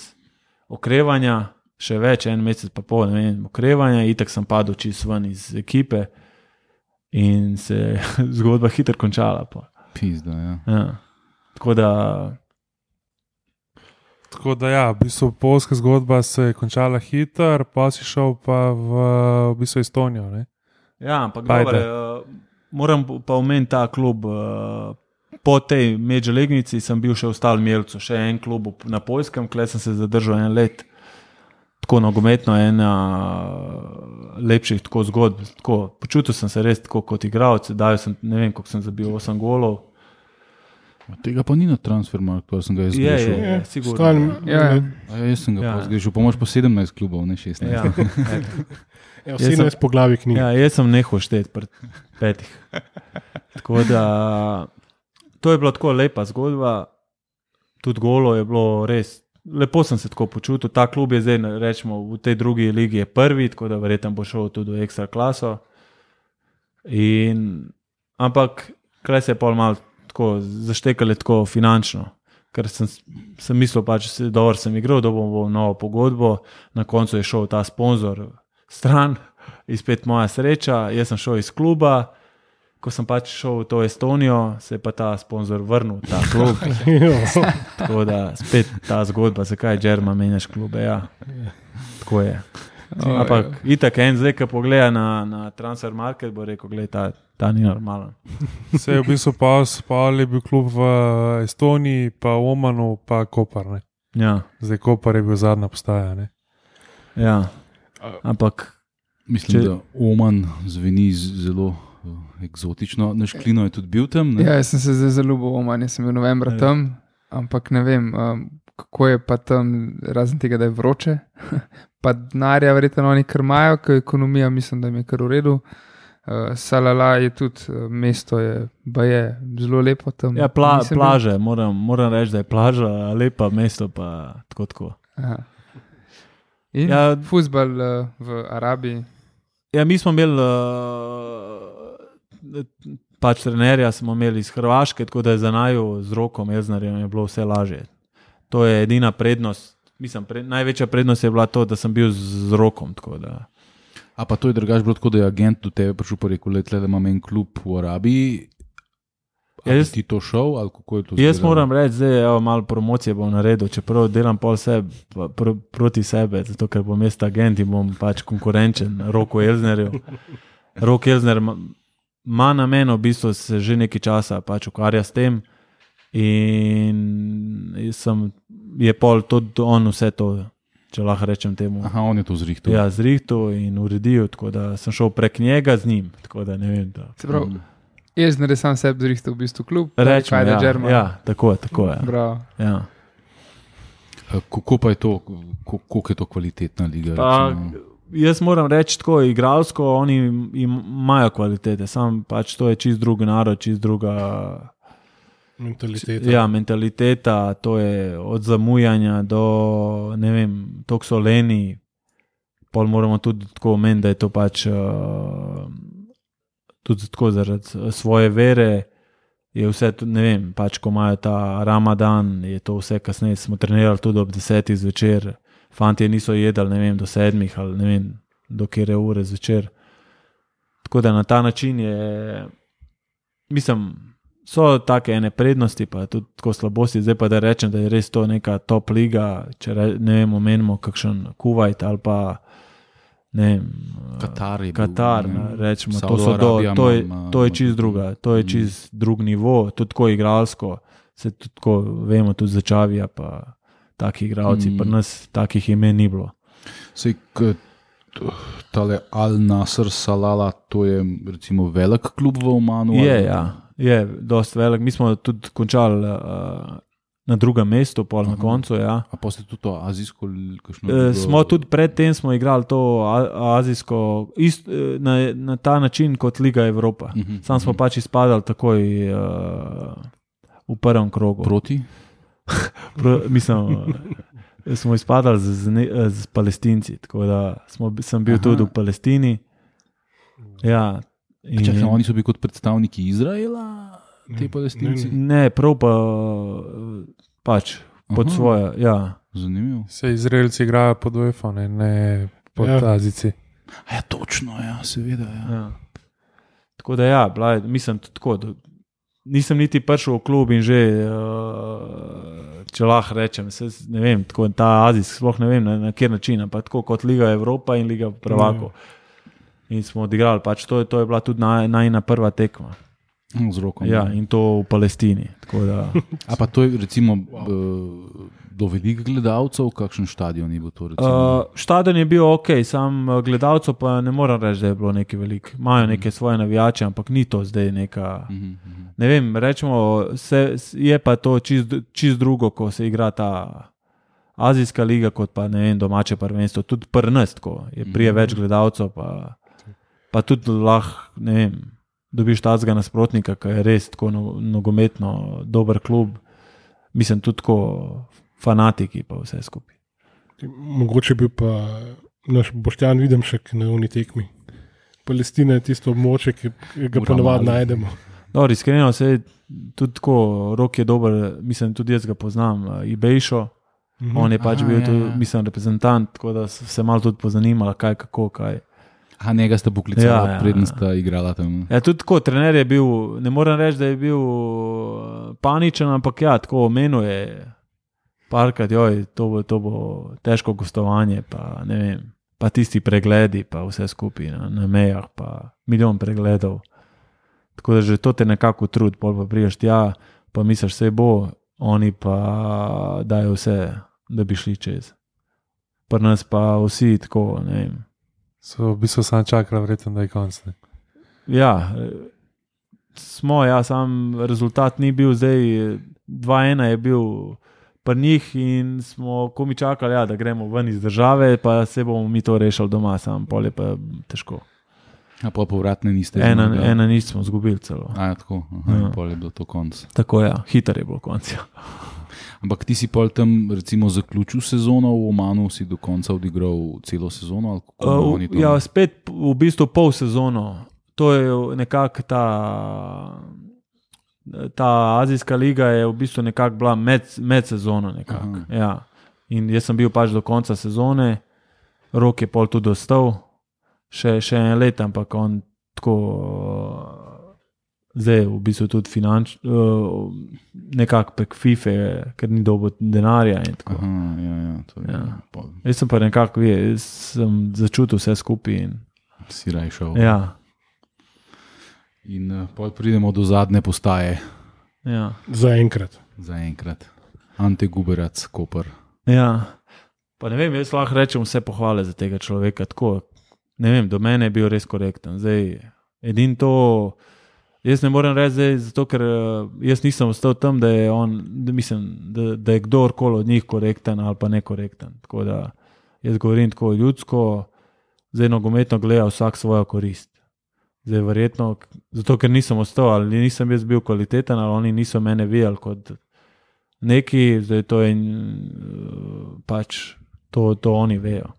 okrevanja, še več, en mesec pa pol, ne vem, okrevanja, itak sem padel čisto ven iz ekipe in se je zgodba hitro končala. Pizda, ja. Ja. Tako da ja, v bistvu polska zgodba se je končala hitro, pa si šel pa v bistvu Estonijo, ne? Ja, ampak dobre, moram pa omeniti ta klub. Po tej Medželegnici sem bil še v Stal Mielcu, še en klub na Poljskem, kjer sem se zadržal 1 let. Tako nogometno, ena lepših tako zgodb. Tako, počutil sem se res tako kot igralec, dal sem, ne vem, koliko sem zabil 8 golov. Tega pa ni na Transfermarkt, pa sem ga jaz zgrešil. Je, sigurno. Jaz sem ga pa zgrešil, pa moraš po 17 klubov, ne 16. Ja. 17 poglavij knjig. Ja, jaz sem nehal šteti pred 5. Tako da, to je bila tako lepa zgodba, tudi golo je bilo res, lepo sem se tako počutil, ta klub je zdaj, rečemo, v tej drugi ligi je prvi, tako da verjetno bo šel tudi v ekstra klaso. Ampak, kaj se je pol malo tako zaštekali tako finančno, ker sem mislil pač, dobro sem igral, da bom novo pogodbo, na koncu je šel ta sponzor stran, izpet moja sreča, jaz sem šel iz kluba, ko sem pač šel v to Estonijo, se je pa ta sponzor vrnil, ta klub. Tako da spet ta zgodba, zakaj Džerma menjaš klube, ja. Tako je. Ampak itak en zdaj, ko pogleda na Transfermarkt, bo rekel, gledaj, ta ni normalen. Se je v bistvu pa je bil klub v Estoniji, pa v Omanu, pa Kopar, ne? Ja. Zdaj Kopar je bil zadnja postaja, ne? Ja, ampak... Mislim, da Oman zveni zelo eksotično. Naš Klino je tudi bil tam, ne? Ja, jaz sem se zdaj zaljubil v Oman, jaz sem bil novembra tam, ampak ne vem, kako je pa tam, razen tega, da je vroče, pa denarja verjetno oni kar imajo, ker ekonomija mislim, da jim je kar v redu. Salala je tudi, mesto je zelo lepo tam. Ja, plaže, moram reči, da je plaža lepa, mesto pa tako. Aha. In fuzbal v Arabiji? Ja, mi smo imeli pač trenerja smo imeli iz Hrvaške, tako da je za naju z Rokom Elznarjem je bilo vse lažje. To je edina prednost, mislim, največja prednost je bila to, da sem bil z Rokom, tako da. A pa to je drugače bilo tako, da je agent do tebe prišel pa rekel, da imam en klub v Arabiji, ali ti to šel, ali kako je to zgledalo? Jaz moram reči, zdaj malo promocije bom naredil, čeprav delam pol proti sebe, zato ker bom jaz agent in bom pač konkurenčen Roku Elznerju. Rok Elzner ima namen, v bistvu se že nekaj časa pač ukvarja s tem in je pol tudi on vse to, če lahko rečem temu. Aha, on je to zrihtal. Ja, zrihtal in uredil, tako da sem šel prek njega z njim, tako da ne vem. Se pravi, Elzner je sam sebi zrihtal v bistvu klub, rečemo, Kajda Džerma. Ja, tako je. Bravo. Ja. Kako pa je to, koliko je to kvalitetna liga? Jaz moram reči tako, igralsko oni imajo kvalitete, sam pač to je čist drug narod, čist druga mentaliteta. Ja, mentaliteta, to je od zamujanja do, ne vem, toliko so leni, pol moramo tudi tako omeniti, da je to pač tudi tako zaradi svoje vere, je vse, ne vem, pač ko imajo ta Ramadan, je to vse kasneje, smo trenirali tudi ob 10 zvečer, fantje niso jedali, ne vem, do 7 ali ne vem, do kere ure zvečer. Tako da na ta način je, mislim, so take ene prednosti, pa tudi tako slabosti, zdaj pa da rečem, da je res to neka top liga, če ne vem, omenimo kakšen Kuvajt ali pa ne vem, Katar, rečemo, to je čist druga, to je čist drug nivo, tudi tako igralsko, se tudi tako, vemo, tudi za Čavija, pa taki igralci, pa nas takih imen ni bilo. Sej, tale Al Nasr Salala, to je recimo velik klub v Omanu? Je dosti velik. Mi smo tudi končali na drugem mestu, pol na koncu. Ja. A pa ste tudi to azijsko? Smo tudi predtem igrali to azijsko na ta način kot Liga Evropa. Sam smo pač izpadali takoj v prvem krogu. Proti? Mislim, smo izpadali z Palestinci, tako da sem bil tudi v Palestini. Ja. Čakaj, oni so bili kot predstavniki Izraela, te Palestinci? Ne, prav pa pač pod svoje. Ja. Zanimivo. Se Izraelci igrajo pod UEFA, ne pod Azijci. Ja, točno, ja, seveda. Ja. Tako da ja, mislim tudi tako, da nisem niti prišel v klub in že, če lahko rečem, ne vem, tako ta azijski, sploh ne vem na kjer način, ampak tako kot Liga Evropa in Liga prvakov. In smo odigrali, pač to je bila tudi najna prva tekma. Z rokom. Ja, in to v Palestini. Da... A pa to je recimo do velikih gledalcev, kakšen stadion je bil to? Stadion je bil ok, sam gledalcev pa ne moram reči, da je bilo nekaj veliko. Imajo neke svoje navijače, ampak ni to zdaj neka... Ne vem, rečemo, je pa to čist drugo, ko se igra ta azijska liga, kot pa ne vem, domače prvenstvo. Tudi prnestko je prije več gledalcev, pa tudi lahko, ne vem, dobiš tazga nasprotnika, ki je res tako nogometno dober klub. Mislim, tudi tako fanatiki pa vse skupaj. Mogoče bi pa naš Boštjan Videmšek na uni tekmi. Palestina je tisto območje, ki ga ponovadi najdemo. Dobro, iskreno se je tudi tako, Rok je dober, mislim, tudi jaz ga poznam, Ibejšo. On je pač bil tudi, mislim, reprezentant, tako da se malo tudi pozanimala, kaj, kako, kaj. A njega ste poklicali, preden sta igrala tam. Ja, tudi tako, trener je bil, ne moram reči, da je bil paničen, ampak ja, tako omenil je parkrat, to bo težko gostovanje, pa ne vem, pa tisti pregledi, pa vse skupaj na mejah, pa milijon pregledov. Tako da že to te nekako trud, pol pa priješ tja, pa misliš, vse bo, oni pa dajo vse, da bi šli čez. Pri nas pa vsi tako, ne vem. So v bistvu sam čakali, verjetno, da je konc. Ja, sam rezultat ni bil zdaj, 2-1 je bil pri njih in smo komi čakali, da gremo ven iz države, pa se bomo mi to rešili doma, sam pol je pa težko. A pa povratne niste? Ena nismo zgubili celo. A ja, tako, pol je bilo to konc. Tako ja, hiter je bilo konc, ja. Ampak ti si pol tam recimo zaključil sezono v Omanu, si do konca odigral celo sezono? Ja, spet v bistvu pol sezono. To je nekako ta azijska liga je v bistvu nekako bila med sezono nekako. Ja. In jaz sem bil pač do konca sezone, Rok je pol tudi ostal, še en let, ampak on tako zdaj v bistvu tudi nekako prek FIFA, ker ni dobil denarja in tako. Jaz sem pa nekako, sem začutil vse skupaj in si rajšal. Ja. In pol pridemo do zadnje postaje. Ja. Zaenkrat. Ante Guberac, Koper. Ja. Pa ne vem, jaz lahko rečem vse pohvale za tega človeka, tako, ne vem, do mene je bil res korekten. Zdaj, edin to, jaz ne morem reči zdaj, zato ker jaz nisem ostal tam, da je on, da je kdorkoli od njih korekten ali pa nekorekten. Tako da jaz govorim tako ljudsko, zdaj nogometno gleda vsak svojo korist. Zdaj verjetno, zato ker nisem ostal, ali nisem jaz bil kvaliteten, ali oni niso mene videli kot neki, zdaj to je pač, to oni vejo.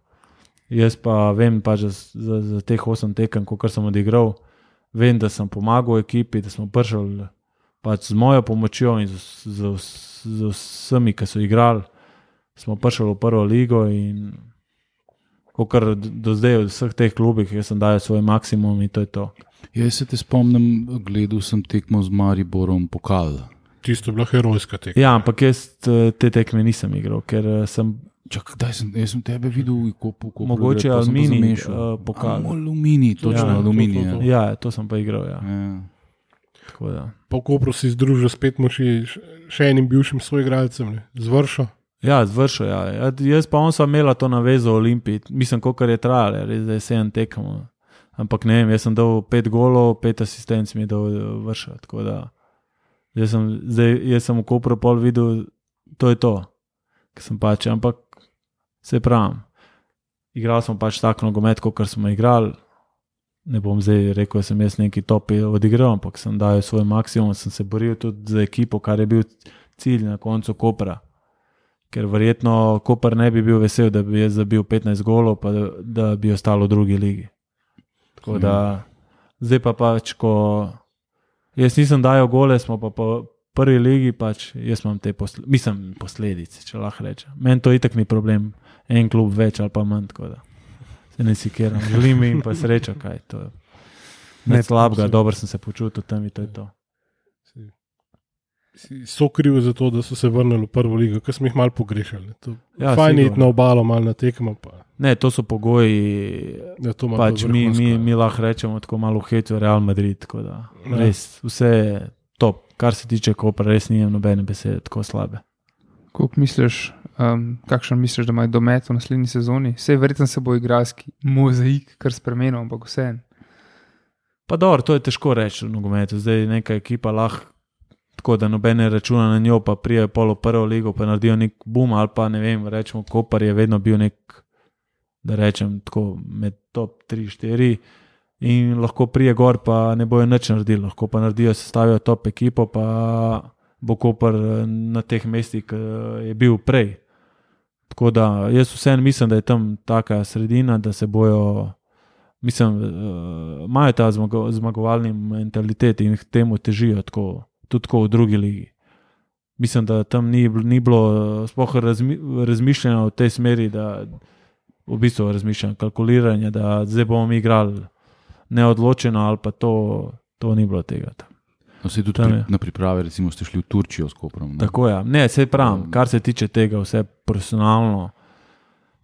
Jaz pa vem pač za teh 8 tekem, kar sem odigral, vem, da sem pomagal ekipi, da smo prišli pač z mojo pomočjo in z vsemi, ki so igrali, smo prišli v prvo ligo in kar do zdaj v vseh teh klubih, jaz sem dajal svoj maksimum in to je to. Jaz se te spomnim, gledal sem tekmo z Mariborom pokal. Tisto je bila herojska tekma. Ja, ampak jaz te tekme nisem igral, ker sem... Jaz sem tebe videl, mogoče Aluminij pokal. Aluminij, točno Aluminij. Ja, to sem pa igral, ja. Tako da. Po Kopru si združil spet moči še enim bivšim soigralcem, z Vršo. Ja, zvršil, ja. Jaz pa on sva imela to navezo v Olimpiji, mislim, kolikor je trajalo, res da je 7 tekem. Ampak ne vem, jaz sem dal 5 golov, 5 asistenc mi je dal vršil, tako da jaz sem v Kopru pol videl, to je to, ker sem pač, ampak se pravim, igral sem pač tak nogomet, kakor smo igrali, ne bom zdaj rekel, da sem jaz neki top odigral, ampak sem dal svoj maksimum, sem se boril tudi za ekipo, kar je bil cilj na koncu Kopra. Ker verjetno Koper ne bi bil vesel, da bi jaz zabil 15 golov, pa da bi ostalo v drugi ligi. Tako da, zdaj pa pač, ko jaz nisem dajal gole, smo pa po prvi ligi, pač jaz imam te posledice, če lahko rečem. Meni to itak ni problem, en klub več ali pa manj, tako da se ne sikeram. Želim jim pa srečo, kaj to je. Ne slabega, dobro sem se počutil tam in to je to. So krivi za to, da so se vrnili v prvo ligo, ker smo jih malo pogrešali. Ja, fajn je iti na obalo, malo na tekmo. Ne, to so pogoji, Ja, to ima pač to vrhunsko. mi lahko rečemo tako malo hecu Real Madrid, tako da res vse je top, kar se tiče Kopra, res nijem nobene besede tako slabe. Koliko misliš, kakšen misliš, da imajo domet v naslednji sezoni? Vse verjetno se bo igralski mozaik kar spremenil, ampak vseeno. Pa dobro, to je težko reči v nogometu, zdaj neka ekipa lahko tako, da nobene računa na njo, pa prije polo prvo ligo, pa naredijo nek boom, ali pa ne vem, rečemo, Kopar je vedno bil nek, da rečem tako, med top 3-4 in lahko prije gor, pa ne bojo nič naredili, lahko pa naredijo, sestavijo top ekipo, pa bo Kopar na teh mestih, ki je bil prej. Tako da jaz vseeno mislim, da je tam taka sredina, da se bojo, mislim, imajo ta zmagovalni mentalitet in k temu težijo tako, tudi tako v drugi ligi. Mislim, da tam ni bilo sploh razmišljanja v tej smeri, da v bistvu razmišljanja, kalkuliranja, da zdaj bomo mi igrali neodločeno ali pa to ni bilo tega. No, se tudi na priprave, recimo ste šli v Turčijo s Koprom. Ne? Tako ja, ne, sej pravim, kar se tiče tega, vse profesionalno,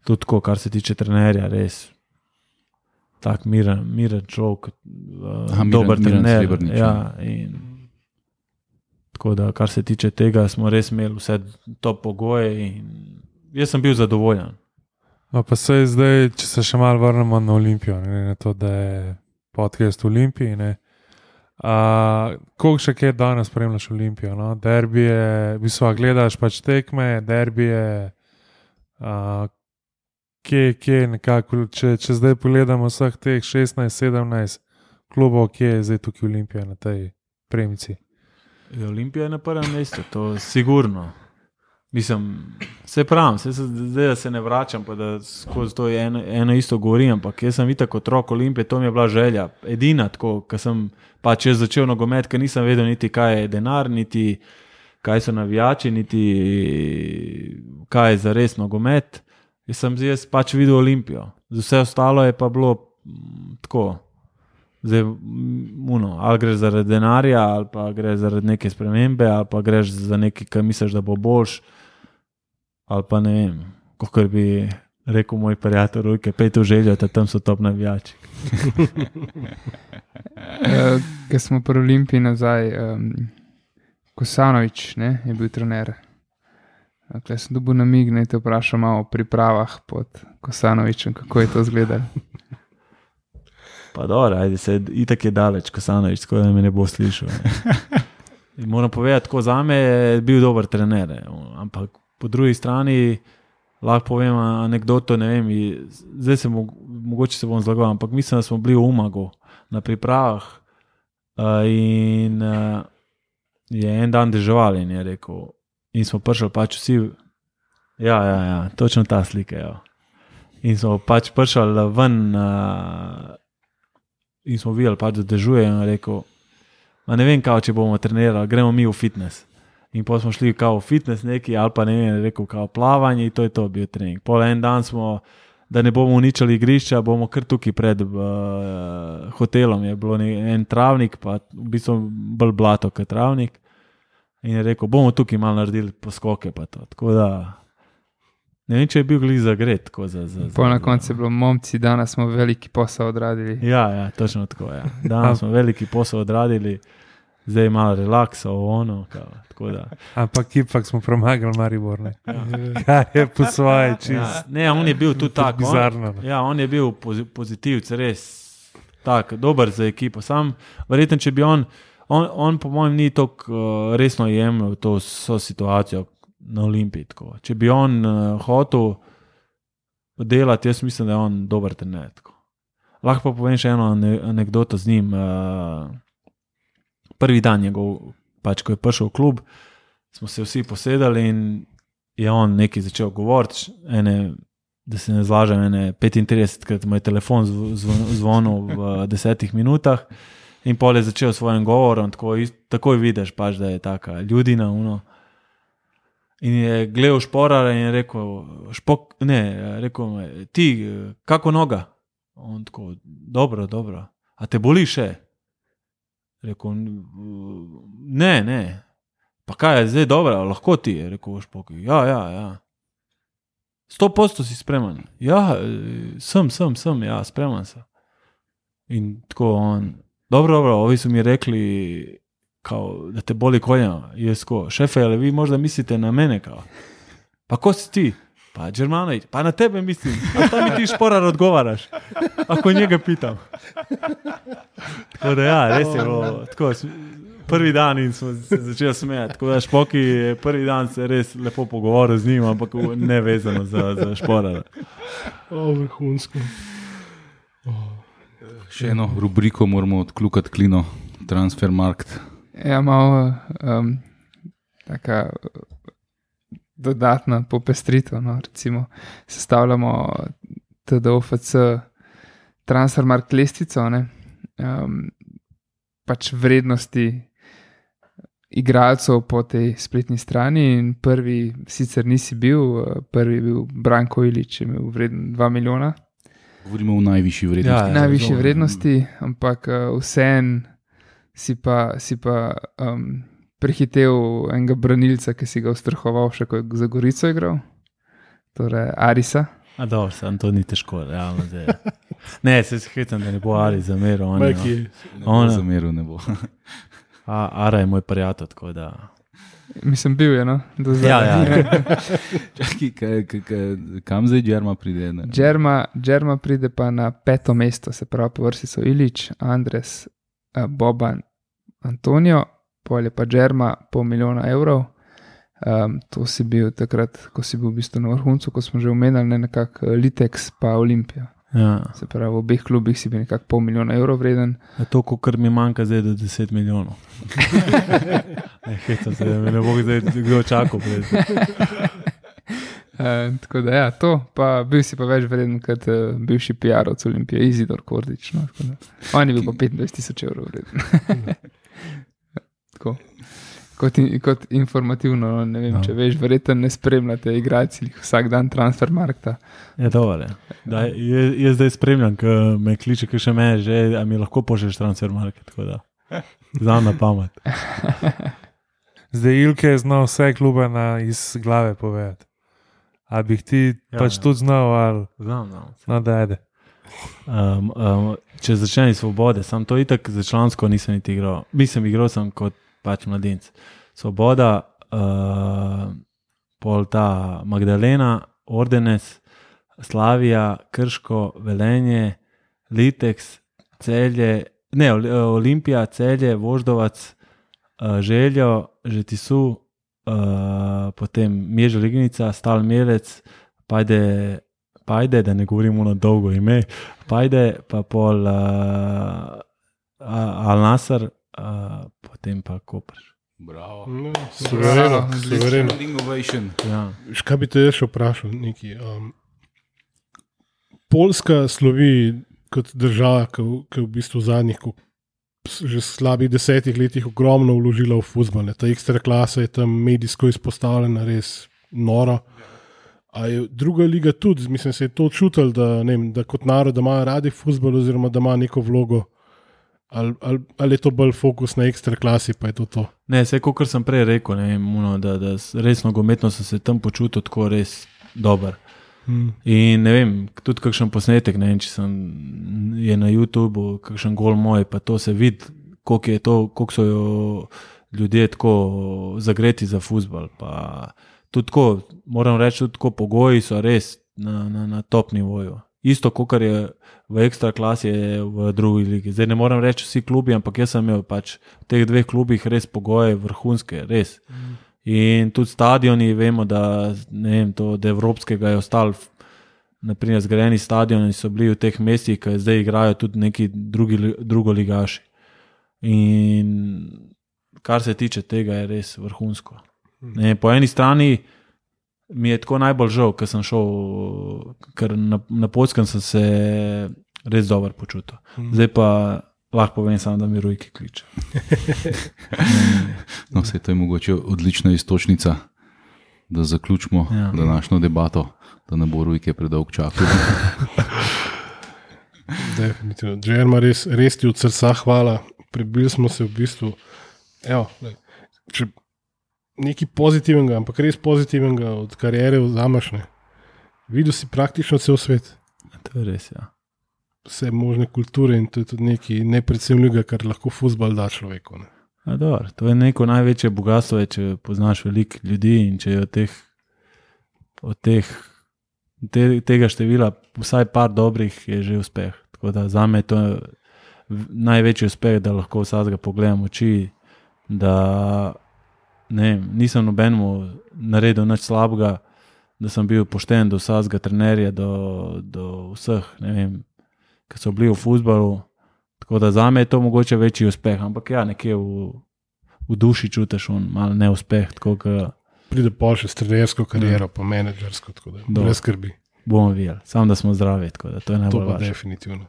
tudi tako, kar se tiče trenerja, res tak miren človek, dober trener. Ja, in tako da, kar se tiče tega, smo res imeli vse top pogoje in jaz sem bil zadovoljen. No, pa sej zdaj, če se še malo vrnemo na Olimpijo, ne, na to, da je podcast v Olimpiji, ne. Koliko še kje danes spremljaš Olimpijo? No? Derbije, v bistvu gledaš pač tekme, derbije, kje nekako, če zdaj pogledamo vseh teh 16-17 klubov, kje je zdaj tukaj Olimpija na tej premici? Olimpija je na prvem mestu, to je sigurno. Mislim, se pravim, zdaj da se ne vračam, pa da skozi to eno isto govorim, ampak jaz sem itak otrok Olimpije, to mi je bila želja. Edina tako, ko sem pač jaz začel nogomet, ker nisem vedel niti kaj je denar, niti kaj so navijači, niti kaj je zares nogomet. Jaz pač videl Olimpijo. Vse ostalo je pa bilo tako. Zdaj, ali greš zaradi denarja, ali pa greš zaradi neke spremembe, ali pa greš za nekaj, kar misliš, da bo boljš, ali pa ne vem, kakor bi rekel moj prijatelj Rujke, pej to željo, da tam so top navijači. Ko smo pri Olimpiji nazaj, Kosanović je bil trener. Tukaj sem dobil namig, ne te vprašam malo o pripravah pod Kosanovićem, kako je to izgledalo. Pa dobro, ajde se, itak je daleč Kosanović, tako da me ne bo slišal. Ne. Moram povedati, tako zame je bil dober trener, ampak po drugi strani lahko povem anekdoto, ne vem, zdaj se mogoče se bom zlagal, ampak mislim, da smo bili v Umagu na pripravah in je en dan deževal in je rekel, in smo prišli pač vsi, ja, točno ta slika, ja. In smo pač prišli ven in smo videli pač, da dežuje in rekel, ne vem kao, če bomo trenirali, gremo mi v fitness. In potem smo šli kao v fitness neki, ali pa ne vem, rekel kao plavanje in to je to bil trening. Pol en dan smo, da ne bomo uničili igrišča, bomo kar tukaj pred hotelom, je bilo en travnik, pa v bistvu bolj blato kot travnik. In je rekel, bomo tukaj malo naredili poskoke pa to. Tako da, ne vem, če je bil glih zagret. Po na koncu je bilo, momci, danes smo veliki posel odradili. Ja, točno tako, ja. Danes smo veliki posel odradili. zdaj malo relaksa, ono. Ampak ipak smo premagali Maribor. Kaj je po svoje čist. Ne, on je bil tudi tak. Bizarno. On je bil pozitivc, res tak, dober za ekipo. Sam, verjetno, če bi on po mojem ni tako resno jemljal to situacijo na Olimpiji. Tako. Če bi on hotel delati, jaz mislim, da je on dober trener. Lahko pa povem še eno anekdoto z njim. Prvi dan njegov, pač ko je prišel v klub, smo se vsi posedali in je on nekaj začel govoriti, da se ne zlažem, 35krat moj telefon zvonil v 10 minutah in pol je začel svojim govorom, takoj vidiš pač, da je taka ljudina, in je gledal Šporara in je rekel, ti, kako noga? On tako, dobro, a te boli še? Rekel, ne, pa kaj je zdaj dobro, lahko ti je, rekel Špok, ja. 100% si spreman. Ja, sem, ja, spreman sem. In tako on, dobro, ovi so mi rekli, kao, da te boli kolena. Jaz ko, šefe, ali vi možda mislite na mene, kao? Pa ko si ti? Pa Đermanović, pa na tebe mislim. A tam mi ti Šporar odgovaraš? Ako njega pitam. Tako da ja, res je bilo tako, prvi dan in smo se začeli smejati. Tako da Špoki je prvi dan se res lepo pogovoril z njim, ampak ne vezano za Šporara. Vrhunsko. Še eno rubriko moramo odkljukati klino, Transfermarkt. Ja, malo taka dodatna popestritev, no, recimo sestavljamo TDOFC Transfermarkt lestvico, pač vrednosti igralcev po tej spletni strani in prvi sicer nisi bil, prvi je bil Branko Ilić, je imel vreden 2 milijona. Govorimo o najvišji vrednosti. Ja, najvišji vrednosti, ampak vseeno si pa prehitev enega branilca, ki si ga ustrahoval še, ko je za Gorico igral, torej Arisa. A dobro, sam to ni težko, realno zdaj. Ne, se hitam, da ne bo Aris zameril. Zameril ne bo. Ara je moj prijatelj, tako da... Mislim, bil je, no? Ja. Čakaj, kam zdaj Đerma pride? Đerma pride pa na 5. mesto, se pravi, po vrsti so Ilić, Andres, Boban, Antonio, pol je pa Đerma $500 milijonov. To si bil takrat, ko si bil v bistvu na vrhuncu, ko smo že omenjali nekako Litex pa Olimpija. Ja. Se pravi, v obeh klubih si bil nekako $500 milijonov vreden. To, kar mi manjka zdaj do 10 milijonov. Ne bo zdaj kdo čakal. Tako da ja, to, pa bil si pa več vreden kot bivši PR-ovc Olimpije, Izidor Kordić. No, on je bil pa €25,000 vreden. Tako. Kot informativno, ne vem, če veš, verjetno ne spremljate igralci vsak dan Transfermarkta. Je dobro. Jaz zdaj spremljam, ko me kliče, ki še me že, a mi lahko pošlješ Transfermarkt, tako da znam na pamet. Zdaj Ilke je znal vse klube iz glave povedati. A bi ti pač tudi znal, ali? Znam. No, da ajde. Če začne iz Svobode, sam to itak za člansko nisem niti igral. Mislim, igral sem kot pač mladinc. Svoboda, pol ta Magdalena, Ordenes, Slavija, Krško, Velenje, Litex, Celje, Olimpija, Celje, Voždovac, Željo, Žetisu, potem Mježa Lignica, Stal Mielec, Pajde, da ne govorimo na dolgo ime, Pajde, pa pol Al Nasr, potem pa Koper. Bravo. Suvereno. Ja. Kaj bi te še vprašal? Poljska slovi kot država, ki v bistvu v zadnjih že slabih 10 letih ogromno vložila v fuzbal. Ta ekstra klasa je tam medijsko izpostavljena, res noro. A je druga liga tudi, mislim, se je to čutil, da kot narod, da imajo radi fuzbal oziroma da ima neko vlogo. Ali je to bolj fokus na ekstra klasi, pa je to? Ne, vse, kot sem prej rekel, da res nogometno sem se tam počutil tako res dober. In ne vem, tudi kakšen posnetek, ne vem, če je na YouTubeu kakšen gol moj, pa to se vidi, koliko so jo ljudje tako zagreti za fuzbal. Pa tudi tako, moram reči, tudi tako pogoji so res na top nivoju. Isto, kot je v ekstra klasi, je v drugi ligi. Zdaj ne moram reči vsi klubi, ampak jaz sem imel pač v teh dveh klubih res pogoje vrhunske, res. In tudi stadioni, vemo, da ne vem, to od evropskega je ostal, naprimer zgrajeni stadioni so bili v teh mestih, ki zdaj igrajo tudi neki drugoligaši. In kar se tiče tega, je res vrhunsko. Ne, po eni strani mi je tako najbolj žal, ker sem šel, ker na Poljskem sem se res dobro počutil. Zdaj pa lahko povem samo, da mi Rujki kliče. No, to je mogoče odlična istočnica, da zaključimo današnjo debato, da ne bo Rujke predolg čakal. Definitivno. Džerma, res ti od srca hvala. Prebili smo se v bistvu. Evo, če nekaj pozitivnega, ampak res pozitivnega od kariere vzameš, ne. Videl si praktično cel svet. To je res, ja. Vse možne kulture in to je tudi nekaj nepredstavljivega, kar lahko fuzbal da človeku. Ne. Dobro, to je neko največje bogatstvo, če poznaš veliko ljudi in če je tega števila vsaj par dobrih, je že uspeh. Tako da zame je to največji uspeh, da lahko vsakega pogledam v oči, da nisem nobenemu naredil nič slabega, da sem bil pošten do vsakega trenerja, do vseh, ne vem, ki so bili v fuzbalu. Tako da zame je to mogoče večji uspeh, ampak ja, nekje v duši čutiš malo neuspeh. Pride pol še s trenersko kariero, pa menedžersko, tako da brez skrbi. Bomo videli, samo da smo zdravi, tako da to je najbolj važno. To pa definitivno.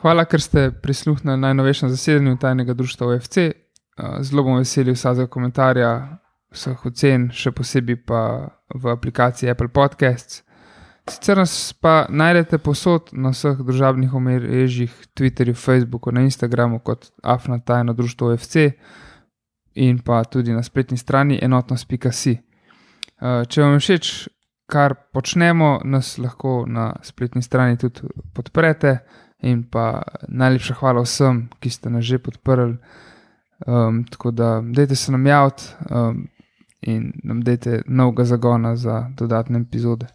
Hvala, ker ste prisluhnili najnovejšem zasedanju tajnega društva OFC. Zelo bom veseli vsakega komentarja, vseh ocen, še posebej pa v aplikaciji Apple Podcasts. Sicer nas pa najdete povsod na vseh družabnih omrežjih, Twitterju, Facebooku, na Instagramu kot @tajno društvo OFC in pa tudi na spletni strani enotnost.si. Če vam je všeč, kar počnemo, nas lahko na spletni strani tudi podprete in pa najlepša hvala vsem, ki ste nas že podprli. Tako da dajte se nam javiti in nam dajte novega zagona za dodatne epizode.